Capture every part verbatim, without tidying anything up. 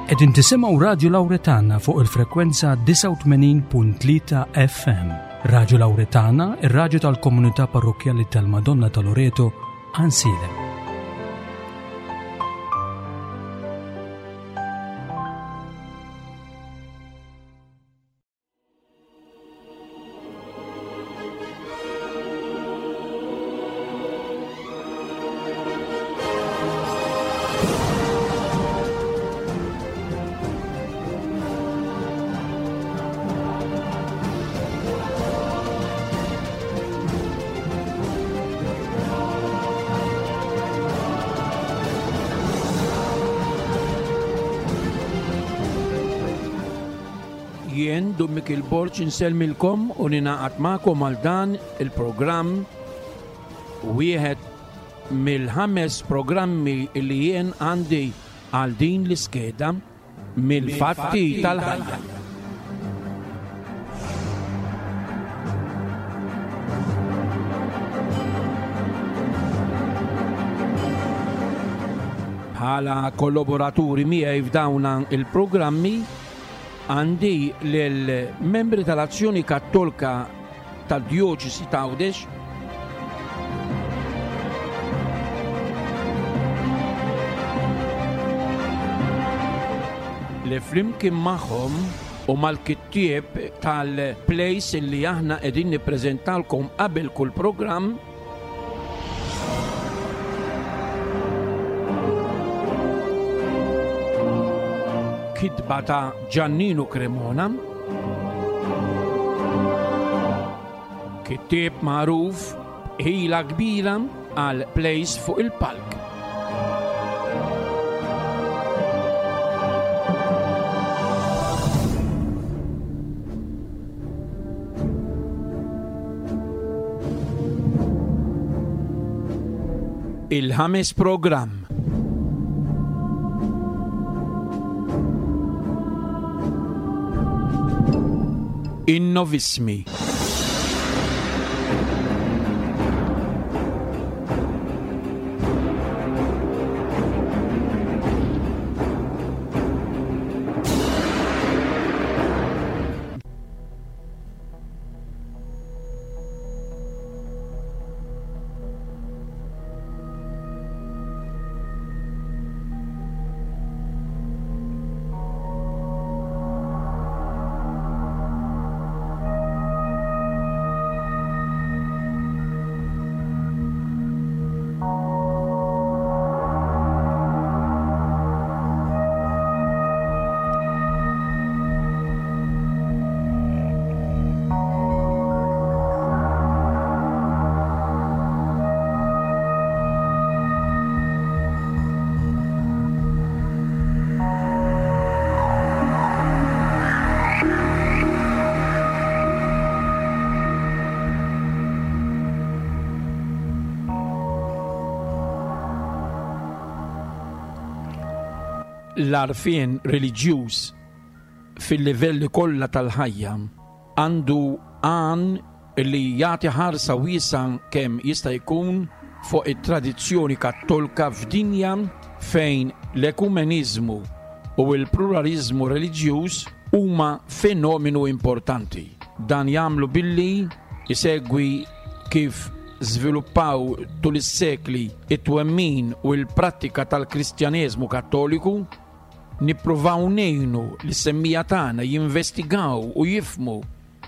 Qegħdin tisimgħu Radju Lawretana fuq il-frekwenza disgħa u tmenin punt tlieta F M. Radju Lawretana, ir-radju tal-komunità parrokkjali tal-Madonna ta' Loreto, Għajnsielem. Jien Dun Mikiel Borg insellmilkom u ninaqat magħkom għal dan il-programm, wieħed mill-ħames programmi li jien għandi għal din l-iskeda mill-fatti tal-ħajja. Bħala kollaboraturi miegħi f'dawn il-programmi għandi lill-membri tal-Azzjoni Kattolika tad-Djoċesi ta' Għawdex, li flimkien magħhom u mal-kittieb tal-place li aħna qegħdin nippreżentalkom qabel kull programm, kitba ta' Giannino Cremona, kittieb magħruf ħila kbira għal plays fuq il-palk. Il-ħames programm. Innovismi. L-għarfien reliġjuż fil-livelli kollha tal-ħajja għandu għan li jagħti ħarsa wiesgħa kemm jista' jkun fuq it-tradizzjoni kattolika f'dinja fejn l-ekumeniżmu u l-pluralizmu reliġjuż huma fenomenu importanti. Dan jagħmlu billi isegwi kif żviluppaw tul is-sekli it-twemmin u l-prattika tal-Kristjaneżmu Kattoliku, nippruvaw ngħinu lis-semmija tagħna jinvestigaw u jifhmu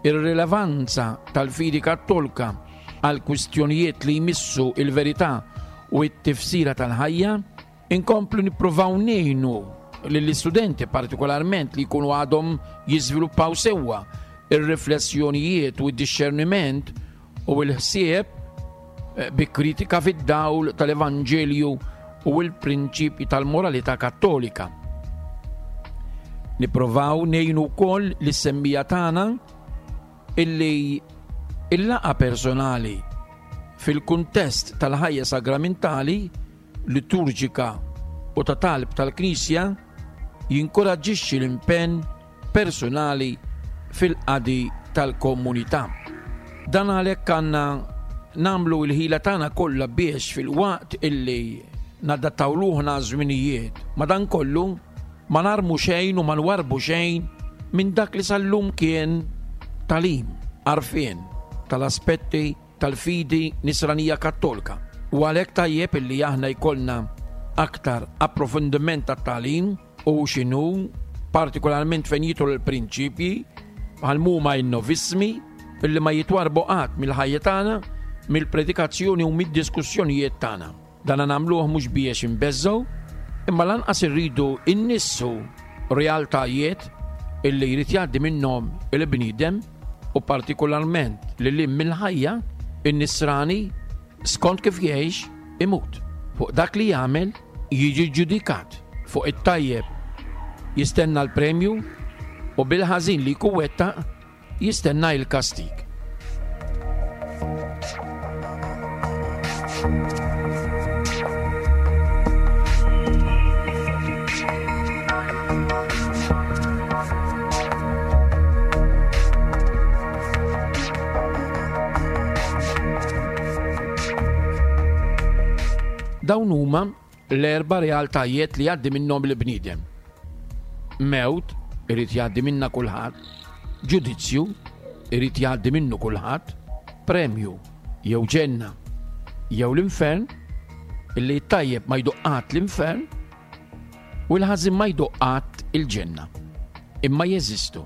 ir-rilevanza tal-fidi kattolika għal kwistjonijiet li jmissu il-verità u t-tifsira tal-ħajja, inkomplu nippruvaw ngħinu lill-istudenti partikolarment li jkunu għadhom jiżviluppaw sewwa ir-riflessjonijiet u d-dixxerniment u l-ħsieb bi kritika fid-dawl tal-Evanġelju u l-prinċipji tal-moralità kattolika. Nipprovaw ngħinu wkoll lis-semmija tagħna illi il-laqgħa personali fil-kuntest tal-ħajja sagramentali, liturġika u ta' talb tal-Knisja jinkoraġġixxi l-impenn personali fil-qadi tal-komunità. Dan għalhekk għandna nagħmlu l-ħila tagħna kollha biex fil-waqt illi nadattaw ruħna żminijiet, madankollu ma narmu xejn u ma nwarbu xejn minn dak li sal-lum kien tagħlim, għarfien tal-aspetti tal-fidi nisranija kattolika. U għalhekk tajjeb illi aħna jkollna aktar approfondiment tat-tagħlim u x'inhu partikolarment fejn jidħlu l-prinċipji bħal huma n-novismi illi ma jitwarbu qatt mill-ħajja tagħna, mill-predikazzjoni u mid-diskussjonijiet tagħna. Dan nagħmluh mhux biex inbeżżgħu, imma lanqas irridu innissu realtajiet illi jrid jgħaddi minnhom il-bniedem u partikolarment li lim mill-ħajja in-nisrani skont kif jgħix imut. Fuq dak li jagħmel jiġi ġudikat, fuq it-tajjeb jistenna l-premju u bil-ħażin li jkun wettaq jistenna l-kastig. Dawn huma l-erba' realtajiet li jgħaddi minnhom il-bniedem. Mewt irid jgħaddi minna kulħadd, ġudizzju irid jgħaddi minnu kulħadd, premju jew ġenna jew l-infern, illi tajjeb ma jduq qatt l-infern u l-ħażin ma jduq qatt il-ġenna. Imma jeżistu.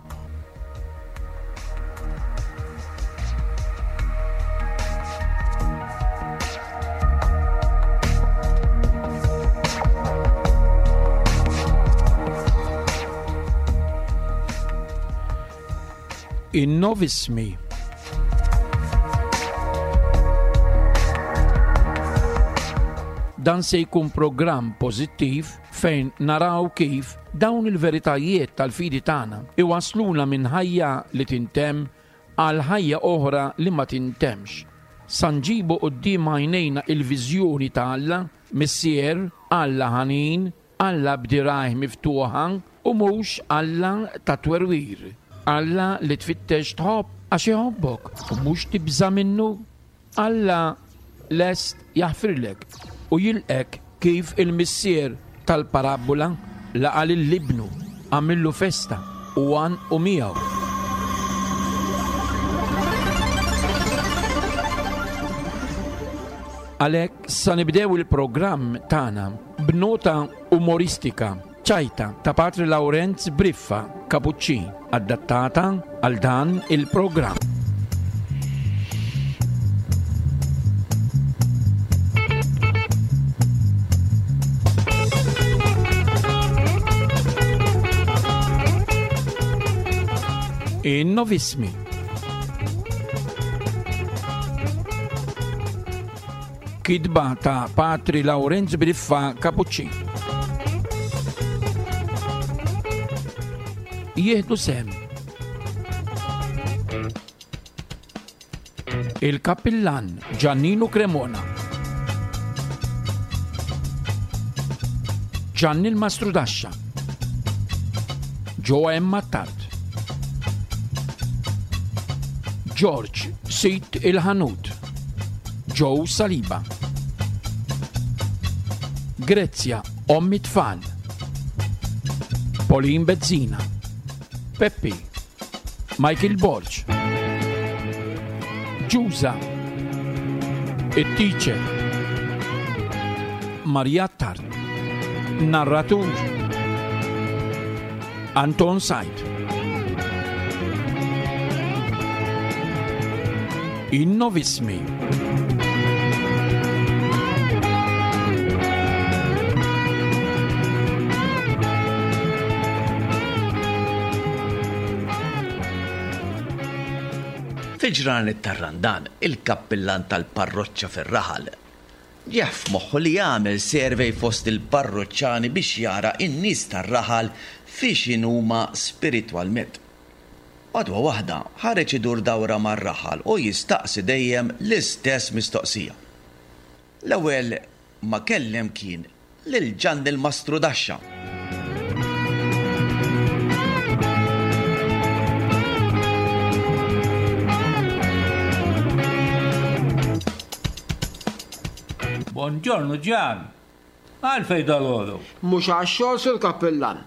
In-novismi. Dan se jkun programm pożittiv fejn naraw kif dawn il-veritajiet tal-fidi tagħna iwasluna minn ħajja li tintemm għal ħajja oħra li ma tintemx. Sa nġibu quddiem għajnejna il-viżjoni ta' Alla, Missier, Alla ħanin, Alla b'dirajh miftuħa u mhux Alla ta' twerwir. Alla li tfittex tħobb għax iħobbok u mhux tibża' minnu. Alla lest jaħfirlek u jilqek kif il-missier tal-parabola laqa' lil ibnu, għamillu festa u għanqu miegħu. Għalhekk sa nibdew il-programm tagħna b'nota umoristika ċajta ta' Patri Lawrenz Briffa Kapuċċin, adattata għal dan il-programm. In-novismi. Kitba ta' Patri Lawrenz Briffa Kapuċċin. Jieħdu sem il-kappillan Giannino Cremona, Gianni il-Mastrudaxxa, Joe M. Attard, George Sit il-Ħanut, Joe Saliba, Grezia Ommi Tfal, Pauline Bezzina, Peppi, Michael Borg, Giusa, il-Teacher, Maria Attard, Narratur, Anton Said. In-novismi. Fil-ġranet tar-Randan, il-kappillan tal-parroċċa fir-raħal ġieħ f'moħħu li jagħmel survey fost il-parroċċani biex jara n-nies tar-raħal fiex inhuma spiritwalment. Għadwa waħda ħareġ idur dawra mar-raħal u jistaqsi dejjem l-istess mistoqsija. L-ewwel ma kellem kien lil Ġanni l-Mastrudaxxa. Buongiorno Gian, għalfej dal-għodu? Mhux għax-xogħol sur kappillan.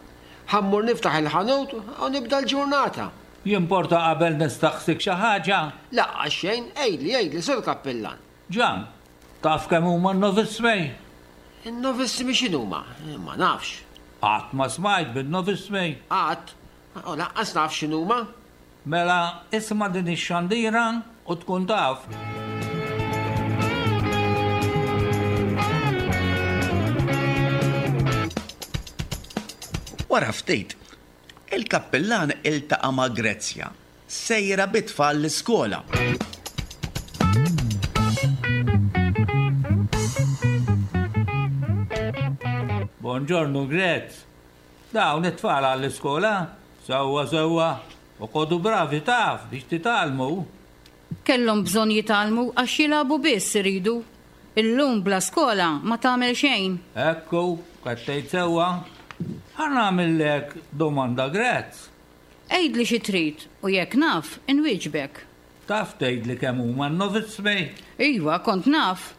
Ħa mmur niftaħ il-ħanut u nibda l-ġurnata. Jimporta qabel nistaqsik xi ħaġa? Lanqas xejn, għidli, għidli, Sur Kappillan. Ġan, taf kemm huma n-novissmi? In-novissmi x'inhuma? Ma nafx. Qatt ma smajt bin-novissmi? Qatt, u lanqas naf x'inhuma. Mela isma' din ix-xandira u tkun taf. Wara ftit, il-kappillan iltaqa' ma' Grezzja, sejra bit-tfal l-iskola. Buongiorno Grezz. Dawn it-tfal għall-iskola? Sewwa sewwa. Oqogħdu bravi taf biex titgħallmu. Kellhom bżonn jitgħallmu għax jilagħbu biss iridu. Illum bla skola ma tagħmel xejn. Ekku, qed tgħid sewwa. Ħa nagħmillek domanda Grezz. Għidli xi trid u jekk naf, inwieġbek. Taf tgħidli kemm huma n-novissmi? Iva, kont naf.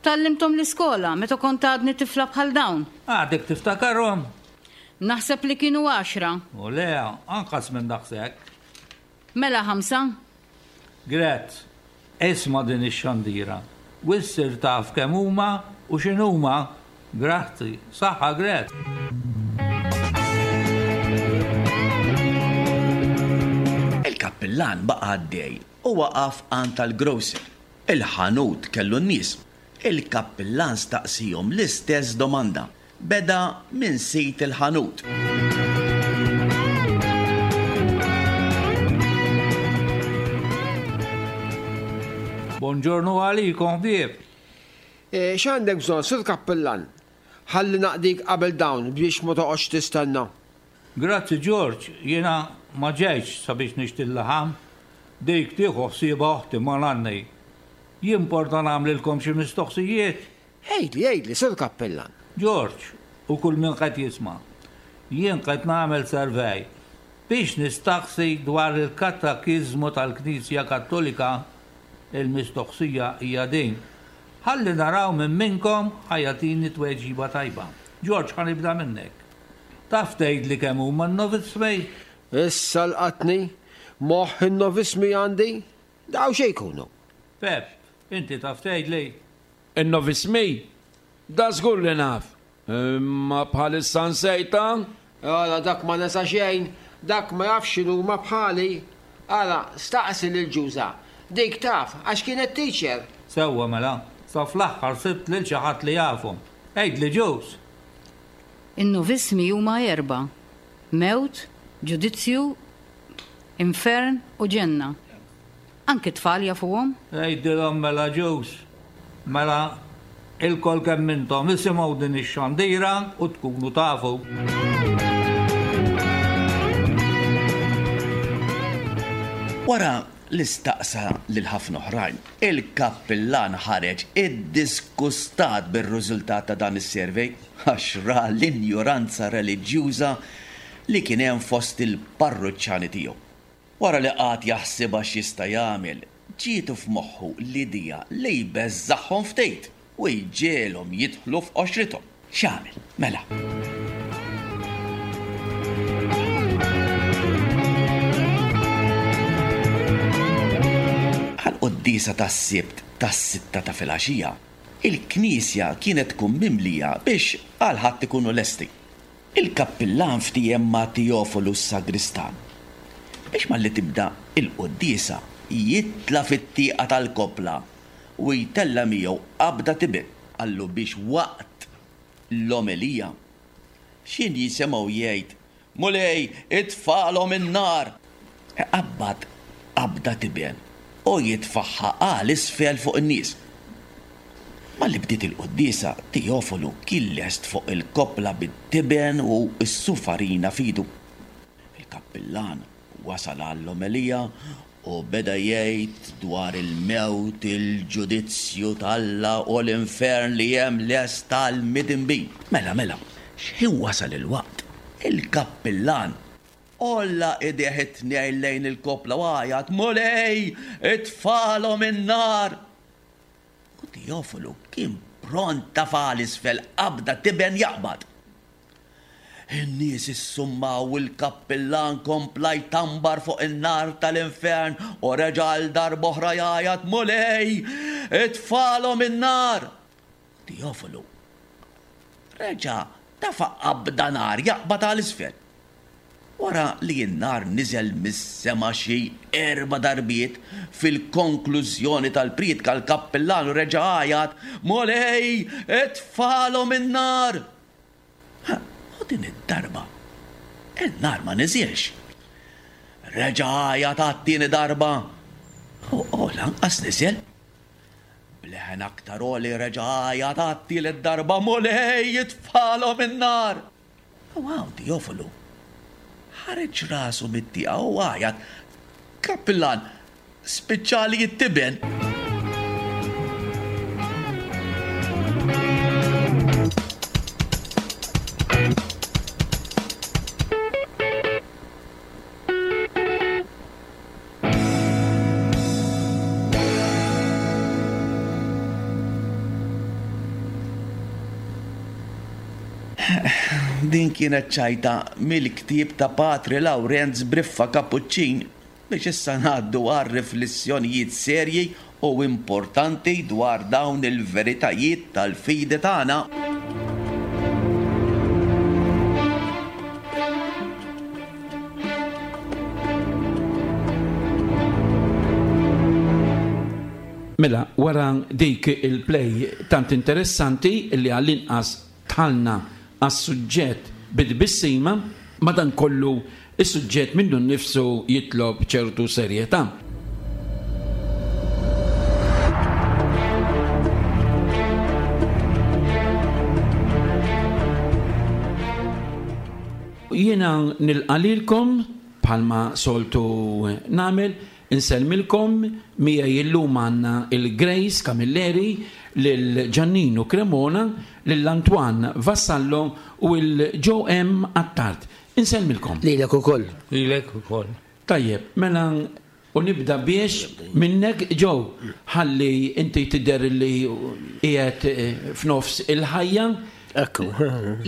Tgħallimthom l-iskola meta kont għadni tifla bħal dawn. Għadek tiftakarhom? Naħseb li kienu għaxra. U le, anqas minn daqshekk. Mela ħamsa? Grezz, isma' din ix-xandira. U ssir taf kemm huma u x'inhuma. Grazzi, saħħa Grezz. Il-kappillan baqa' għaddej u waqaf għand tal-grocer. Il-ħanut kellu n-nies. Il-kappillan staqsihom l-istess domanda. Beda minn sid il-ħanut. Buongiorno għalikom, ħbieb. E, x'għandek bżonn, Sur Kappillan? Ħalli naqdik qabel dawn biex ma toqgħodx tistenna. Grazzi George, jiena ma ġejtx sabiex nixtri l-laħam. Dik tieħu ħsiebha oħti ma nanni. Jimporta nagħmlilkom xi mistoqsijiet? Għidli, għidli, Sur Kappillan. George, u kull min qed jisma'. Jien qed nagħmel survey biex nistaqsi dwar il-katekiżmu tal-Knisja Kattolika. Il-mistoqsija hija din. Ħalli naraw minn minnkom ħa jagħtini tweġiba tajba. George, ħa nibda minnek. Taf tgħidli kemm huma n-novissmi? Issa laqatni, moħħ in-novissmi għandi, daw xejn jkunu. Pep, inti taf tgħidli? In-novissmi? Da żgur li naf. Imma bħalissa nsejta? Ara dak ma nesa xejn, dak ma jafx x'inhuma bħali. Ara, staqsi lil Ġuża. Dik taf, għax kienet teacher. Sewwa mela, sa fl-aħħar sibt lil xi ħadd li jafhom. Għidli Ġuż. In-novissmi huma erba'. Mewt, ġudizzju, infern u ġenna. Anki tfal jafuhom? Għidilhom mela Ġuż. Mela ilkoll kemm intom isimgħu din ix-xandira u tkunu tafu. Wara li staqsa lil ħafna oħrajn, il-kappillan ħareġ iddiskustat bir-riżultat ta' dan is-survey għax ra l-injoranza reliġjuża li kien hemm fost il-parruċċani tiegħu. Wara li qagħad jaħsibha x'jista' jagħmel, ġietu f'moħħu l-idea li jbeżżagħhom ftit u jġegħelhom jidħlu f'qoxrithom. X'għamel? Mela. Għall-quddiesa tas-Sibt tas-sitta ta' filgħaxija, il-knisja kienet tkun mimlija biex għal ħadd ikunu lesti. Il-kappillan ftiehem ma' Teofolu s-sagristan biex malli tibda il-quddiesa jitla' fit-tieqa tal-kopla u jtella' miegħu qabda tiben. Qallu biex waqt l-omelija x'in jisimgħu jgħid, Mulej, itfalhom in-nar. Iqabbad qabda tiben u jitfaħħa għal isfel fuq in-nies. Malli bdiet il-quddiesa, Teofolu kien lest fuq il-kopla bit-tiben u s-sufarina f'idu. Il-kappillan wasal għall-omelija u beda jgħid dwar il-mewt, il-ġudizzju t'Alla u l-infern li hemm lest tal-midinbin. Mela, mela, x'ħin wasal il-waqt, il-kappillan għolla idejh it-tnejn lejn il-kopla u għajat, Mulej, itfalhom in-nar. U Teofolu kien pront tafa' 'l isfel qabda tiben jaqbad. In-nies issummaw u l-kappillan kompla jtambar fuq in-nar tal-infern u reġa' għal darb'oħra jgħajjat, Mulej, itfalhom in-nar! Teofolu reġa' tafa' qabda nar jaqbad għal isfel. Wara li n-nar niżel mis-sema xi erba' darbiet, fil-konklużjoni tal-prietka l-kappillan reġa' għajjat, Mulej, itfalhom in-nar! U din id-darba in-nar ma niżilx. Reġa' għajjat għat-tieni darba u, u lanqas niżel. Bleħen aktar għoli reġa' għajjat għat-tielet darba, Mulej, itfalhom in-nar! U hawn Teofolu ħareġ rasu mit-tieqa u għajjat, Kappillan, spiċċali it-tiben! Din kienet ċajta mill-ktieb ta' Patri Lawrenz Briffa Kapuċċin biex issa ngħaddu għal riflessjonijiet serji u importanti dwar dawn il-veritajiet tal-fidi tagħna. Mela, wara dik il-play tant interessanti li għall-inqas tħallna għas-suġġett bid-bissima, madankollu is-suġġett minnu nnifsu jitlob ċertu serjetà. Jiena nilqalilkom bħalma soltu nagħmel, insellmilkom miegħi illum għandna il-Grace Camilleri, lil Giannino Cremona, lil Antoine Vassallo u l Joe M. Attard. Insellmilkom. Lilek ukoll. Lilek ukoll. Tajjeb, mela u nibda biex minnek Joe, ħalli inti tidher li qiegħed f'nofs il-ħajja. Ekku.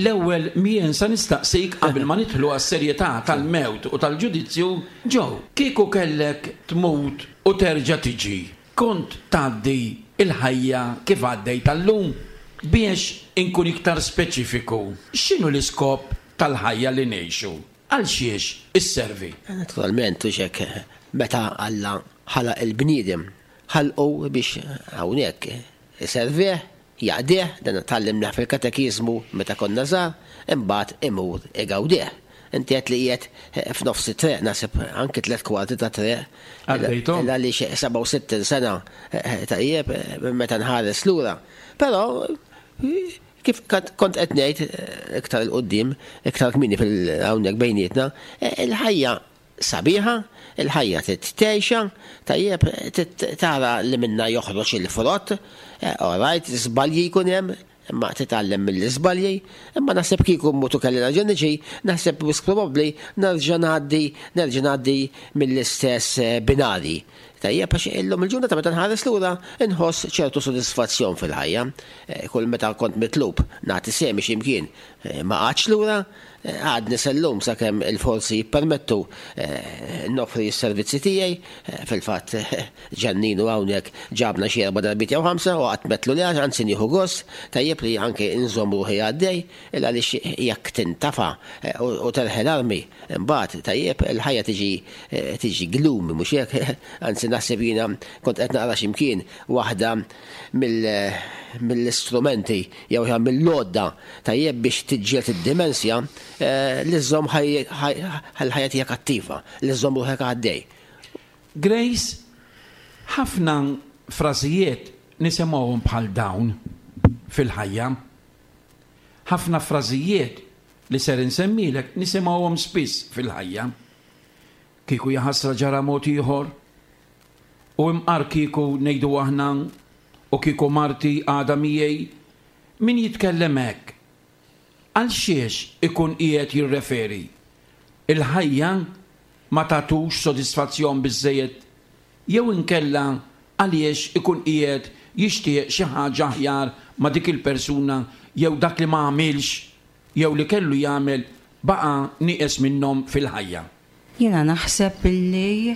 L-ewwel mien sa nistaqsik qabel ma nidħlu għas-serjetà tal-mewt u tal-ġudizzju, Joe, kieku kellek tmut u terġa' tiġi, kont tgħaddi il-ħajja kif għaddej tal-lum? Biex inkun iktar speċifiku, x'inhu l-iskop tal-ħajja li ngħixu? Għal xiex isservi? Naturalment, u xek, meta Alla ħalaq il-bniedem, ħalqu biex hawnhekk iservih, jaqdih, dan tgħallimna fil-katekiżmu meta konna żgħar, imbagħad imur igawdih. Inti qed li qiegħed f'nofs it-triq, naħseb anki tliet kwarti ta' triq. Għaddejthom. Għaliex sebgħa u sittin sena tajjeb meta nħares lura. Però kif kont qed ngħid iktar il quddiem, iktar kmieni fil-hawnhekk bejnietna, il-ħajja sabiħa, il-ħajja titgħixha, tajjeb tara li minna joħroġ il-frott, all right, żbalji jkun hemm, imma titgħallem mill-iżbalji, imma naħseb kieku mmutu kelli nerġa' niġi, naħseb wisq probabbli nerġa' ngħaddi, nerġa' ngħaddi mill-istess binari. Tajjeb, għax illum il-ġurnata meta nħares lura inħoss ċertu sodisfazzjon fil-ħajja. Kull meta kont mitlub nagħti semi x'imkien, ma qgħadx lura, għadni sellum sakemm il-forzi jippermettu noffri s-servizzi tiegħi. Fil-fatt Giannino hawnhekk ġabna xi erba' darbiet jew ħamsa u qatt metlu li għax anzi nieħu gost, tajjeb li anke inżomm ruħi għaddej, il għaliex jekk tintafa u terħel armi, imbagħad tajjeb il-ħajja tiġi tiġi glumi, mhux hekk? Anzi naħseb jiena kont qed naqra x'imkien waħda mill-istrumenti jew mill-lodda tajjeb biex tiġġieled id-dimensja li żżomm ħajja tiegħek attiva, li żżomm ruħek għaddej. Grace, ħafna frażijiet nisimgħuhom bħal dawn fil-ħajja. Ħafna frażijiet li ser insemmilek nisimgħuhom spiss fil-ħajja. Kieku jaħasra ġara mod ieħor, u imqar kieku ngħidu aħna, u kieku marti għadha miegħi, min jitkellem hekk? Għal xiex ikun qiegħed jirreferi? Il-ħajja ma tagħtux sodisfazzjon biżżejjed, jew inkella għaliex ikun qiegħed jixtieq xi ħaġa aħjar ma' dik il-persuna jew dak li ma għamilx jew li kellu jagħmel baqa' nieqes minnhom fil-ħajja? Jiena naħseb illi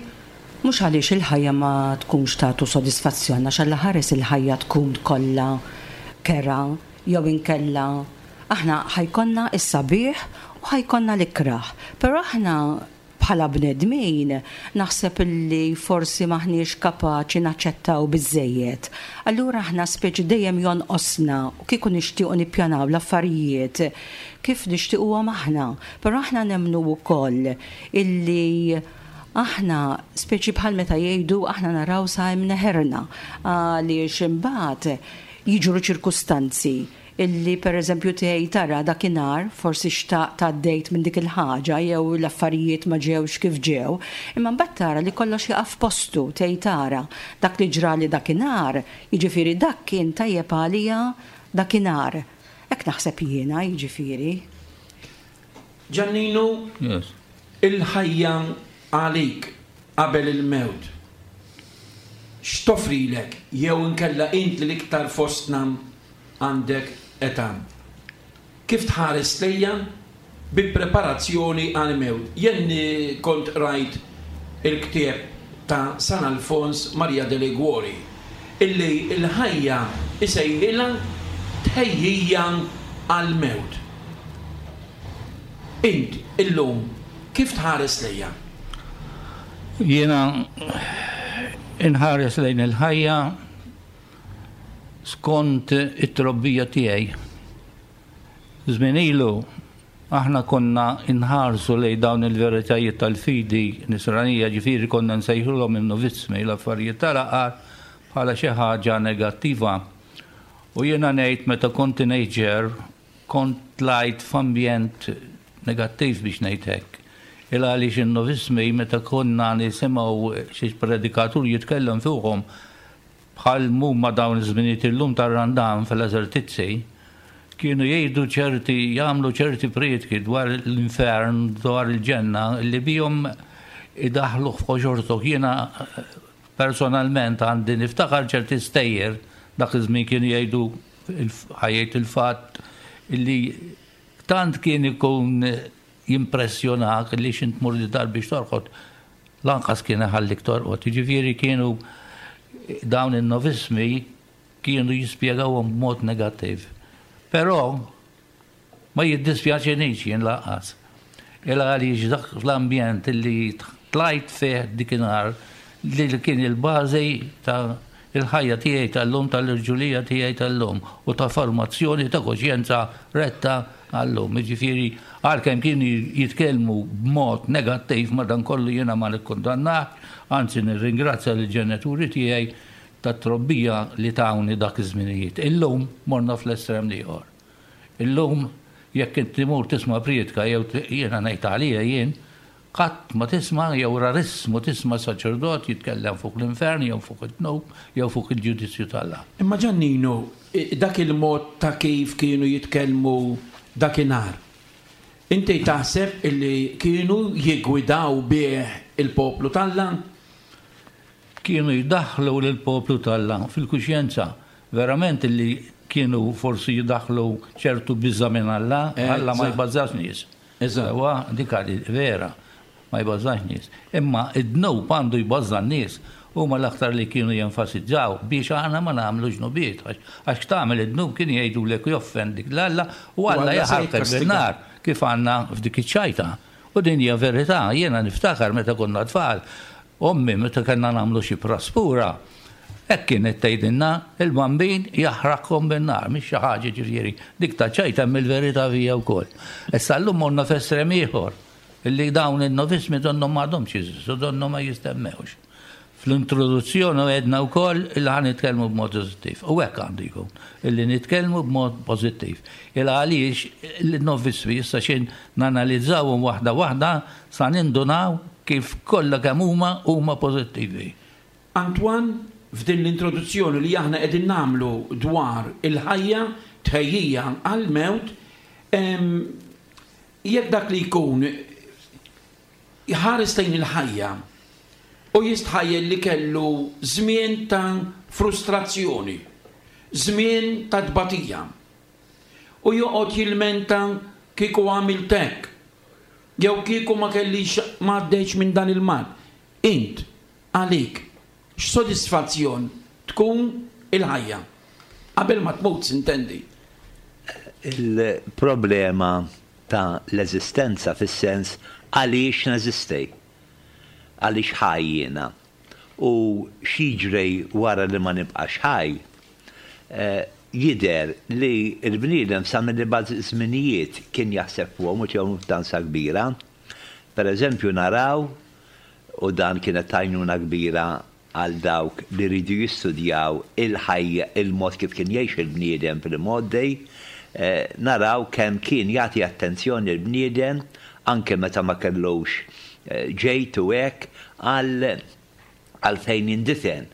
mhux għaliex il-ħajja ma tkunx tagħtu sodisfazzjon, għax Alla ħares il-ħajja tkun kollha kerha jew inkella aħna ħa jkollna s-sabiħ u ħa jkollna l-ikrah. Però aħna bħala bnedmin naħseb illi forsi maħniex kapaċi naċċettaw biżejjed. Allura aħna speċi dejjem jonqosna u kieku nixtiequ nippjanaw l-affarijiet kif nixtiequhom aħna. Però aħna nemmnu wkoll illi aħna speċi bħal meta jgħidu aħna naraw sa imneħerna għaliex imbagħad jiġru ċirkustanzi illi per eżempju tgħid tara dakinhar forsi xtaqt għaddejt minn dik il-ħaġa jew l-affarijiet ma ġewx kif ġew, imma mbagħad tara li kollox jaqaf postu, tgħid tara dak li ġrali dakinhar, jiġifieri dak kien tajjeb għalija dakinhar. Hekk naħseb jiena, jiġifieri. Ġanninu, Yes. il-ħajja għalik qabel il-mewt. X'toffrilek jew inkella int li l-iktar fostna għandek età? Kif tħares lejja bi preparazzjoni għal mewt? Jien kont rajt il-ktieb ta' San Alfons Maria de Liguori illi il-ħajja isejħilha tħejjija għal mewt. Int illum kif tħares lejja? Jiena inħares lejn il-ħajja skont it-trobbija tiegħi. Żmien ilu aħna konna inħarsu lejn dawn il-veritajiet tal-fidi nisranija, ġifieri konna nsejħulhom in-novizzmi, l-affarijiet tal-aqar bħala xi ħaġa negattiva. U jiena ngħid meta kont teenager kont tlajt f'ambjent negattiv biex ngħid hekk. Il għaliex in-novizzmi meta konna nisimgħu xi predikatur jitkellem fuqhom bħal mumma dawn iż-żminijiet illum tar-Randan fil-eżertizzi, kienu jgħidu ċerti, jagħmlu ċerti prietki dwar l-infern, dwar il-ġenna, li bihom idaħlu f'ħoġortok. Jiena personalment għandi niftakar ċerti stejjer dak iż-żmien kienu jgħidu ħajjejt il-fatt illi tant kien ikun jimpressjonak li x'int tmur id-dar biex torqod, lanqas kien iħallik torqod. Jiġifieri kienu dawn in-novismi kienu jispjegawhom b'mod negattiv. Però ma jiddispjaċinix jien lanqas. Il għaliex dak l-ambjent li tlajt fih dikinhar li kien il-bażi ta' il-ħajja tiegħi tal-lum, tal-irġulija tiegħi tal-lum u ta' formazzjoni ta' koxjenza retta għallum. Jiġifieri għalkemm kienu jitkellmu b'mod negattiv madankollu jiena ma nikkundannax, anzi nirringrazzja lill-ġenituri tiegħi tat-trobbija li tawni dak iż-żminijiet. Illum morna fl-estrem l-ieħor. Illum jekk inti tmur tisma' prietka jew jiena ngħid għalija jien, qatt ma tisma' jew rarissmu tisma' saċerdot jitkellem fuq l-infern jew fuq id-dnub jew fuq il-ġudizzju t'Alla. Imma Ġannino, dak il-mod ta' kif kienu jitkellmu dakinhar, inti taħseb illi kienu jiggwidaw bih il-poplu t'Alla? Kienu jdaħħlu lill-poplu t'Alla fil-kuxjenza, verament illi kienu forsi jdaħħlu ċertu biża' minn Alla, Alla ma jbażax nies. Eżatt. Ewa, dik vera, ma jbażax nies. Imma id-dnub għandu jbaża' n-nies, huma l-aktar li kienu jenfasizzaw biex aħna ma nagħmlu ġnubiet, għax tagħmel id-dnub kien jgħidulek joffendik l-Alla u Alla jaħarqek bin-nar kif għandna f'dik iċ-ċajta. U din hija verità, jiena niftakar meta konna tfal, ommi meta kellna nagħmlu xi praspura, hekk kienet tgħidilna il-bambin jaħraqhom bin-nar, mhix xi ħaġa ġifieri, dik ta' ċajta hemm il-verità fija wkoll. Issa llum morna f'estrem ieħor, illi dawn in-novismi donnhom m'għadhomx jeżistu, donnhom ma jistemmewx. Fl-introduzzjoni għedna wkoll illi ħa nitkellmu b'mod pożittiv. U hekk għandu jkun, illi nitkellmu b'mod pożittiv. Il għaliex il-novismi issa xejn nanalizzawhom waħda waħda sa nindunaw kif kollha kemm huma huma pożittivi. Antoine, f'din l-introduzzjoni li aħna qegħdin nagħmlu dwar il-ħajja tħejjija għall-mewt, jekk dak li jkun jħares lejn il-ħajja u jistħajjel li kellu żmien ta' frustrazzjoni, żmien ta' tbatija, u joqgħod jilmenta kieku għamilt hekk, Jew kieku ma kellix ma għaddejtx minn dan il-mard. Int, għalik, x'sodisfazzjon tkun il-ħajja? Qabel ma tmut, sintendi. Il-problema ta' l-eżistenza fis-sens għaliex neżisti, għaliex ħaj jiena u x'jiġri wara li ma nibqax ħaj, eh, jidher li l-bniedem sa mill-ibgħad żminijiet kien jaħseb fuqhom u tihom importanza kbira. Per eżempju naraw, u dan kienet tajnuna kbira għal dawk li ridu jistudjaw il-ħajja, il-mod kif kien jgħix il-bniedem fil-mgħoddi, eh, naraw kemm kien jagħti attenzjoni l-bniedem anke meta ma kellux eh, ġejt u hekk għal għal fejn jindifen,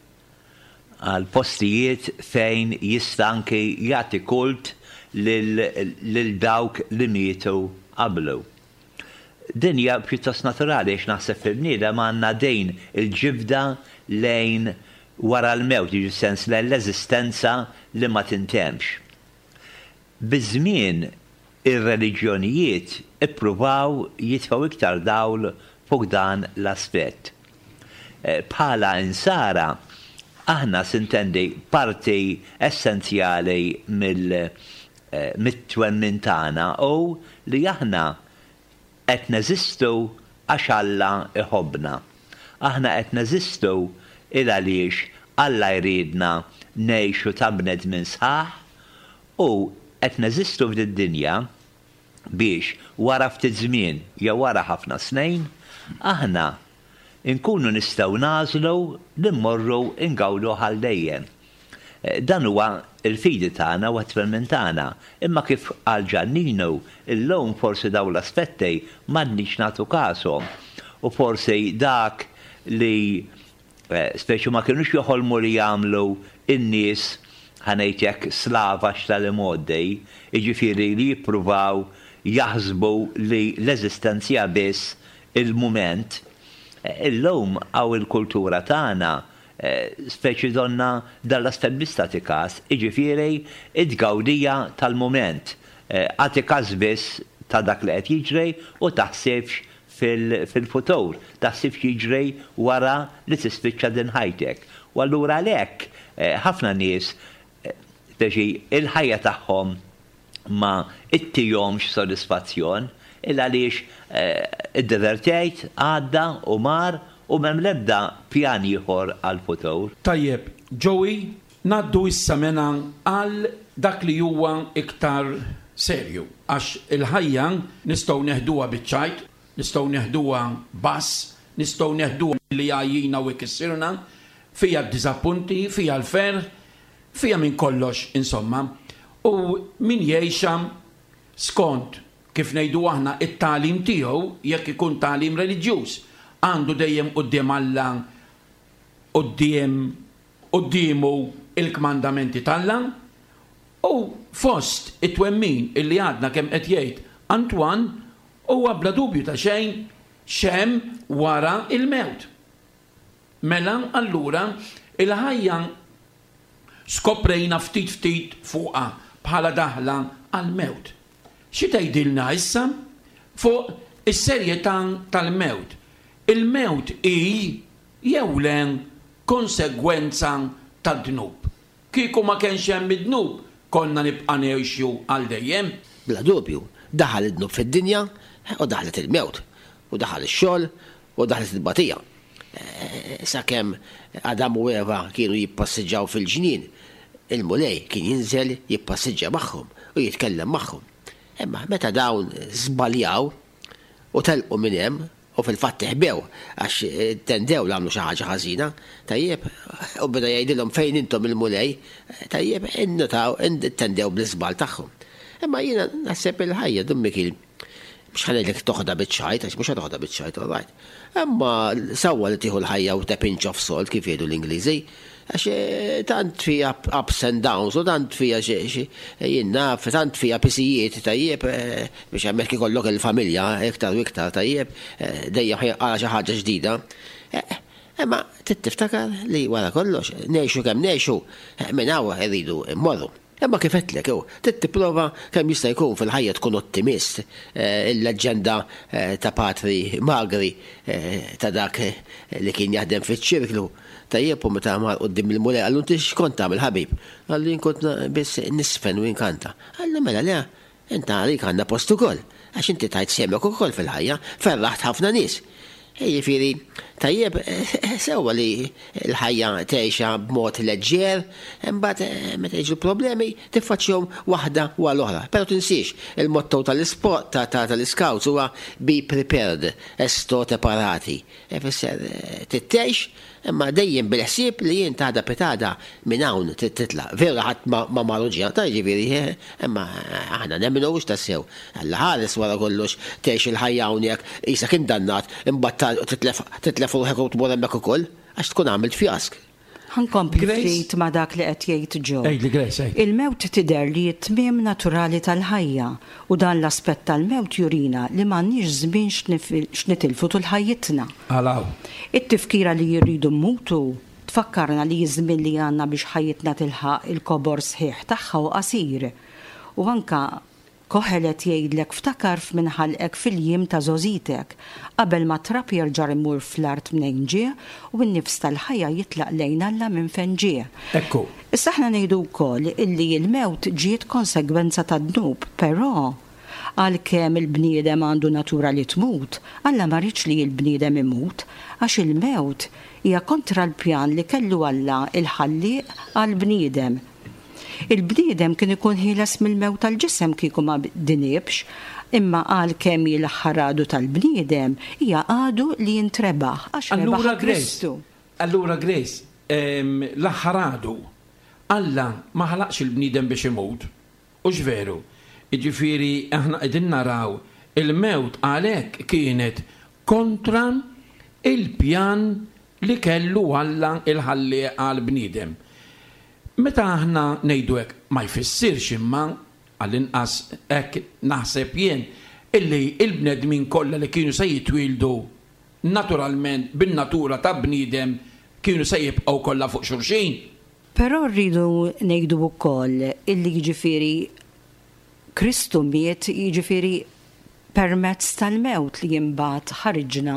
għal postijiet fejn jista' anke jagħti kult lil dawk li mietu qablu. Din hija pjuttost naturali għax naħseb fil-bniedem għandna din il-ġibda lejn wara l-mewt, jiġi sens lejn l-eżistenza li ma tintemx. Biż-żmien ir-reliġjonijiet ippruvaw jitfgħu iktar dawl fuq dan l-aspett. Bħala insara aħna sintendi parti essenzjali mill-twemmin tagħna u li aħna qed neżistu għax Alla iħobbna. Aħna qed neżistu il għaliex Alla jridna ngħixu ta' bnedmin sħaħ u qed neżistu f'did-dinja biex wara ftit żmien jew wara ħafna snin aħna nkunu nistgħu nagħżlu li mmorru ngawdu għal dejjem. Dan huwa il-fidi tagħna u t-twemmin tagħna, imma kif qal Ġanninu, illum forsi dawn l-aspetti m'għandniex nagħtu kashom u forsi dak li speċi ma kinux joħolmu li jagħmlu in-nies ħa ngħid hekk slavax tal-imgħoddi, jiġifieri li jippruvaw jaħsbu li l-eżistenza biss il-mument. Illum hawn il-kultura tagħna speċi donna dan l-aspett biss tagħti każ, jiġifieri it-tgawdija tal-mument. Agħti każ biss ta' dak li qed jiġri u taħsibx fil-futur, taħsibx jiġri wara li tispiċċa din ħajtek. U allura għalhekk ħafna nies speċi il-ħajja tagħhom ma ittihomx sodisfazzjon il għaliex iddivertejt, għadda u mar u m'hemm l-ebda pjan ieħor għall-futur. Tajjeb, Joey, ngħaddu issa mena għal dak li huwa iktar serju. Għax il-ħajja nistgħu neħduha biċ-ċajt, nistgħu neħduha bass, nistgħu neħduha li għajjina u ikissirna, fija d-diżappunti, fija l-ferħ, fija minn kollox, insomma. U min jgħixha skont kif ngħidu aħna it-tagħlim tiegħu, jekk ikun tagħlim reliġjuż, għandu dejjem quddiem Alla, quddiem quddiemu il-kmandamenti t'Alla, u fost it-twemmin illi għadna kemm qed jgħid Antoine huwa bla dubju ta' xejn x'hemm wara il-mewt. Mela allura il-ħajja skoprejna ftit ftit fuqha bħala daħla għal-mewt. Xi tgħidilna issa fuq is-serjetà tal-mewt? Il-mewt hi jew le konsegwenza tad-dnub. Kieku ma kienx hemm id-dnub, konna nibqa' ngħixu għal dejjem. Bla dubju, daħal id-dnub fid-dinja u daħlet il-mewt, u daħal ix-xogħol u daħlet il-batija. Sakemm Adam u Eva kienu jippassiġġaw fil-ġnien, il-Mulej kien jinżel jippassiġġa magħhom u jitkellem magħhom. Imma meta dawn żbaljaw u telqu minn hemm u fil-fatt ħbew għax tendew li għamlu xi ħaġa ħażina, tajjeb, u beda jgħidilhom fejn intom il-Mulej, tajjeb, innutaw, tendew bl-iżball tagħhom. Imma jiena naħseb il-ħajja Dun Mikiel, mhux ħa ngħidlek toħodha biċ-ċajt, għax mhux toħodha biċ-ċajt, all right. Imma sewwa li tieħu l-ħajja with a pinch of salt kif jgħidu l-Ingliżi, għax tant fija ups and downs u tant fija jien naf, tant fija pisijiet tajjeb biex hemmhekk ikollok il-familja iktar u iktar tajjeb, dejjem għala xi ħaġa ġdida. Imma trid tiftakar li wara kollox ngħixu kemm ngħixu minn hawn irridu mmorru. Imma kif għedtlek, hu, trid tipprova kemm jista' jkun fil-ħajja tkun ottimist. Eh, il-leġġenda eh, ta' Patri Magri eh, ta' dak li kien jaħdem fiċ-ċirklu tajjeb u meta mar quddiem il-Mulej qallu inti x'kont tagħmel ħabib? Qallu jien kont biss nisfen u inkanta. Qallu mela le, inta għalik għandna post ukoll, għax inti tajt sehmek ukoll fil-ħajja, ferraħt ħafna nies. Jiġifieri, tajjeb, sewwa li l-ħajja tgħixha b'mod leġġer, imbagħad meta jiġu problemi tiffaċċjahom waħda wara l-oħra. Però tinsiex, il-motto tal-isport tal-iscouts huwa be prepared, esto te parati. Ifisser trid tgħix imma dejjem bil-ħsieb li jien t'għada pitgħada minn hawn trid titlaq. Vera ħadd ma mar u ġie, ta' jiġifieri, imma aħna nemmnu hux tassew. Alla ħares wara kollox tgħix il-ħajja hawnhekk qisek indannat imbagħad titlef titlef ruħek u tmur hemmhekk ukoll għax tkun għamilt fjask. Ħa nkompli ftit ma' dak li qed jgħid Joe. Għidli Grace, għid. Il-mewt tidher li t-tmiem naturali tal-ħajja u dan l-aspett tal-mewt jurina li m'għandniex żmien x'nitilfu tul ħajjitna. Għalaw. It-tifkira li jirridu mmutu tfakkarna li żmien li għandna biex ħajjitna tilħaq il-kobor sħiħ tagħha hu qasir. U anka Koħelet jgħidlek ftakar f'min ħalqek fil-jiem ta' żgħożitek, qabel ma trab jerġa' imur fl-art mnejn ġie u n-nifs tal-ħajja jitlaq lejn Alla minn fejn ġie. Ekku. Issa aħna ngħidu wkoll illi l-mewt ġiet konsegwenza tad-dnub, però għalkemm il-bniedem għandu natura li tmut, Alla ma riedx li l-bniedem imut, għax il-mewt hija kontra l-pjan li kellu Alla il-ħallieq għall-bniedem. Il-bniedem kien ikun ħieles mill-mewt tal-ġisem kieku ma dinibx, imma għalkemm hi l-aħħar għadu tal-bniedem hija għadu li jintrebaħ għax rebaħ Allura Grace, Kristu. allura Grace, em, l-aħħar għadu, Alla ma ħalaqx il-bniedem biex imut. Hux veru? Jiġifieri aħna qegħdin naraw il-mewt għalhekk kienet kontra il-pjan li kellu Alla il-ħallieq għall-bniedem. Meta aħna ngħidu hekk ma jfissirx imma għall-inqas hekk naħseb jien illi il-bnedmin kollha li kienu se jitwieldu naturalment bin-natura ta' bniedem kienu se jibqgħu kollha fuq xulxin. Però rridu ngħidu wkoll illi jiġifieri Kristu miet jiġifieri permezz tal-mewt li imbagħad ħariġna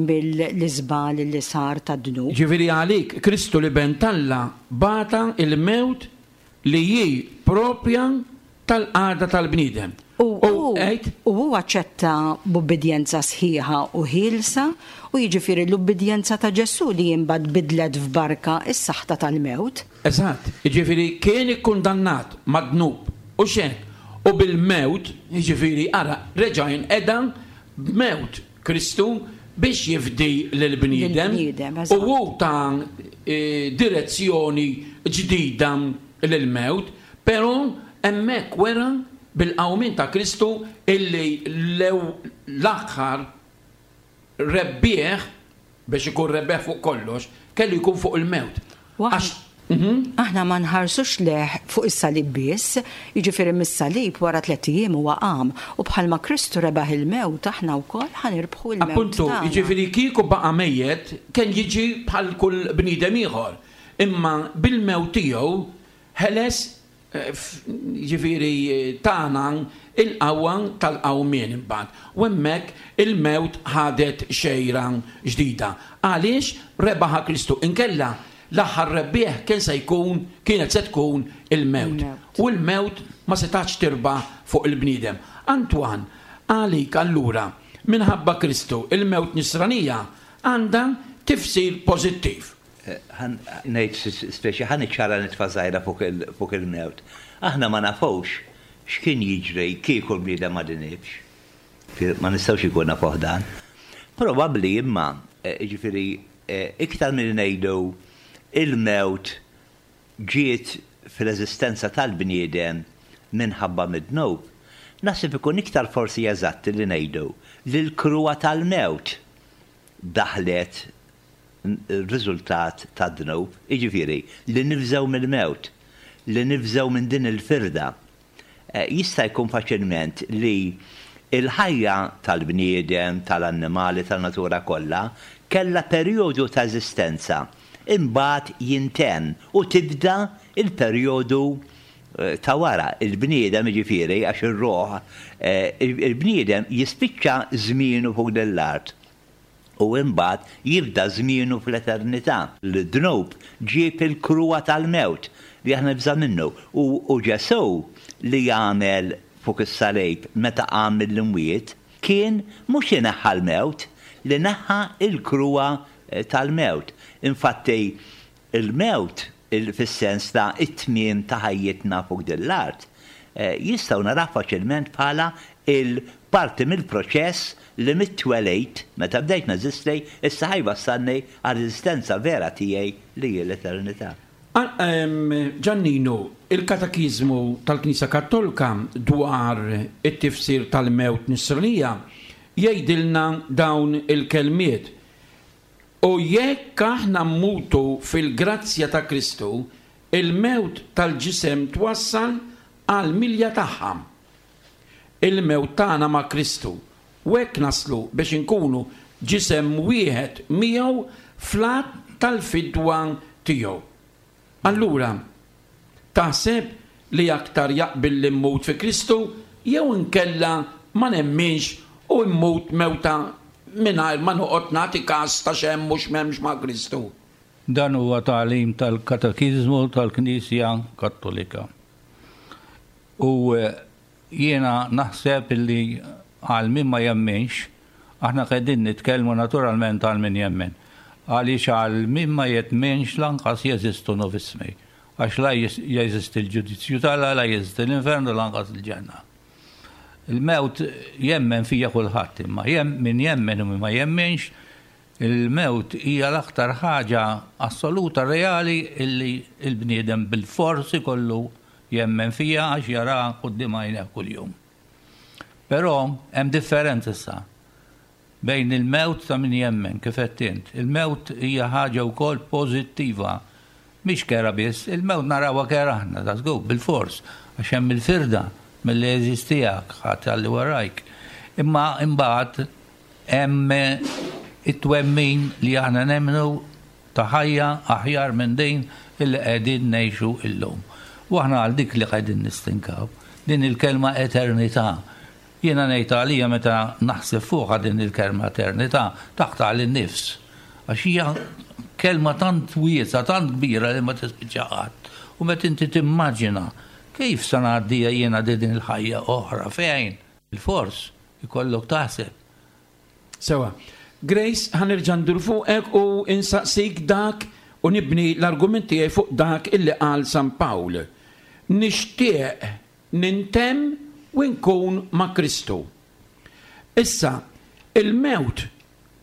mill-iżbal li sar tad-dnub. Ġifieri għalik Kristu l-Iben t'Alla bata il-mewt li hi propja tal-qagħda tal-bniedem. U U għid? u hu aċċetta b'ubbidjenza sħiħa u ħielsa u jiġifieri l-ubbidjenza ta' Ġesù li imbagħad bidlet f'barka is-saħta tal-mewt. Eżatt, jiġifieri kien ikkundannat mad-dnub u xejn. U bil-mewt, jiġifieri ara, reġa' jinqeda b'mewt Kristu biex jifdi lill-bniedem. Lill-bniedem, eżatt. U hu ta' eh, direzzjoni ġdida lill-mewt, però hemmhekk wera bil-qawmien ta' Kristu illi lew l-aħħar rebbieħ biex ikun rebbieħ fuq kollox, kellu jkun fuq il-mewt. Waħ- Għax Mhm. Aħna ma nħarsux lejh fuq is-salib biss, jiġifieri mis-salib wara tliet ijiem huwa qam u bħalma Kristu rebaħ il-mewt aħna wkoll ħa nirbħu l-mewt. Appuntu, tagħna. jiġifieri kieku baqa' mejjet kien jiġi bħal kull bniedem ieħor. Imma bil-mewt tiegħu ħeles eh, f- jiġifieri eh, tana il-qawwa tal-qawmien imbagħad. U hemmhekk il-mewt ħadet xejra ġdida. Għaliex rebaħa Kristu inkella l-aħħar rebbieħ kien se jkun kienet se tkun il-mewt. Il-mewt. U l-mewt ma setax tirbaħ fuq il-bniedem. Antoine, għalik allura, minħabba Kristu, il-mewt nisranija għandha tifsir pożittiv. Ħa ngħid speċi ħa niċċara nitfa żgħira fuq il- fuq il-mewt. Aħna ma nafux x'kien jiġri kieku l-bniedem ma dinibx. Ma nistgħux ikun nafuh dan. Probabbli imma, eh, jiġifieri, eh, iktar minn ngħidu il-mewt ġiet fil-eżistenza tal-bniedem minħabba mid-dnub. Naħseb ikun iktar forsi eżatt li ngħidu li l-kruha tal-mewt daħlet riżultat tad-dnub, jiġifieri li nibżgħu mill-mewt, li nibżgħu minn din il-firda. Eh, Jista' jkun faċilment li il-ħajja tal-bniedem, tal-annimali, tal-natura kollha, kellha perjodu ta' eżistenza. Imbagħad jintemm u tibda il-perjodu ta' wara. Il-bniedem jiġifieri, għax ir-ruħ, il-bniedem jispiċċa żmienu fuq din l-art u imbagħad jibda żmienu fl-eternità. L-dnub ġieb il-kruha tal-mewt li aħna nibża' minnu u Ġesù li għamel fuq is-salib meta qam mill-imwiet kien mhux li neħħa l-mewt, li neħħa l-kruha tal-mewt. Infatti il-mewt fis-sens ta' it-tmiem ta' ħajjitna fuq din l-art jistgħu naraw faċilment bħala il-parti mill-proċess li mit-twelid meta bdejt neżisti issa ħa jwassalni għall-eżistenza vera tiegħi li hi l-eternità. Ġannino, il-Katekiżmu tal-Knisja Kattolika dwar it-tifsir tal-mewt nisranija jgħidilna dawn il-kelmiet. U jekk aħna mmutu fil-grazzja ta' Kristu, il-mewt tal-ġisem twassal għal milja tagħha. Il-mewt tagħna ma' Kristu. U hekk naslu biex inkunu ġisem wieħed miegħu fl-att tal-fidwa tiegħu. Allura, taħseb li aktar jaqbil li mmut fi Kristu jew inkella ma nemminx u mmut mewta mingħajr ma noqgħod nagħti każ ta' x'hemm u x'm'hemmx ma' Kristu? Dan huwa tagħlim tal-Katekiżmu tal-Knisja Kattolika. U jiena naħseb li għal min ma jemminx, aħna qegħdin nitkellmu naturalment għal min jemmen. Għaliex għal min ma jemminx lanqas jeżistu novismi. Għax la jeżisti l-ġudizzju t'Alla, la jeżisti l-infernu, lanqas il-ġenna. Il-mewt jemmen fija kulħadd, imma min jemmen u min ma jemminx, il-mewt hija l-aktar ħaġa assoluta reali illi il-bniedem bil-forsi kollu jemmen fija għax jara quddiem għajnejh kuljum. Però hemm differenza issa bejn il-mewt ta' min jemmen, kif qed int. Il-mewt hija ħaġa wkoll pożittiva, mhix kera biss, il-mewt narawha kera aħna, ta' żgur, bil-fors, għax hemm il-firda mill-għeżież tiegħek, ħadd għalli warajk. Imma imbagħad hemm it-twemmin li aħna nemmnu ta' ħajja aħjar minn din illi qegħdin ngħixu illum. U aħna għal dik li qegħdin nistinkaw, din il-kelma eternità. Jiena ngħid għalija meta naħseb fuqha din il-kelma eternità, taqta' lin-nifs. Għax hija kelma tant wiesgħa, tant kbira li ma tispiċċa qatt. U meta inti timmaġina kif se ngħaddija jiena din il-ħajja oħra fejn il-fors ikollok taħseb. Sewa. Grace, ħa nerġa' ndur fuqek u insaqsik dak u nibni l-argument tiegħi fuq dak illi qal San Pawl. Nixtieq nintemm u nkun ma' Kristu. Issa, il-mewt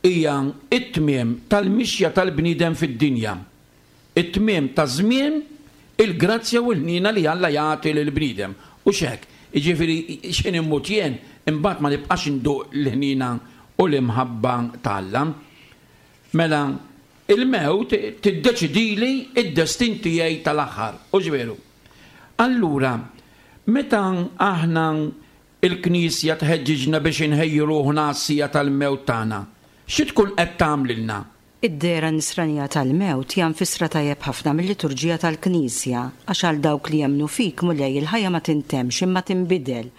hija it-tmiem tal-mixja tal-bniedem fid-dinja. It-tmiem ta' żmien il-grazzja u l-ħniena li Alla jagħti lill-bniedem. U x'hekk, jiġifieri x'ħin immut jien, imbagħad ma nibqax induq l-ħniena u l-imħabba ta' Alla. Mela, il-mewt tiddeċidili id-destin tiegħi tal-aħħar. U ġveru. Allura, meta aħna il-Knisja tħeġġiġna biex inħejju ruħna għas-sija tal-mewt tagħna, xi tkun qed tagħmlilna? Id-dehra nisranija tal-mewt hija mfissra tajjeb ħafna mill-liturġija tal-Knisja, għax għal dawk li jemmnu fik, Mulej, il-ħajja ma tintemx imma tinbidel,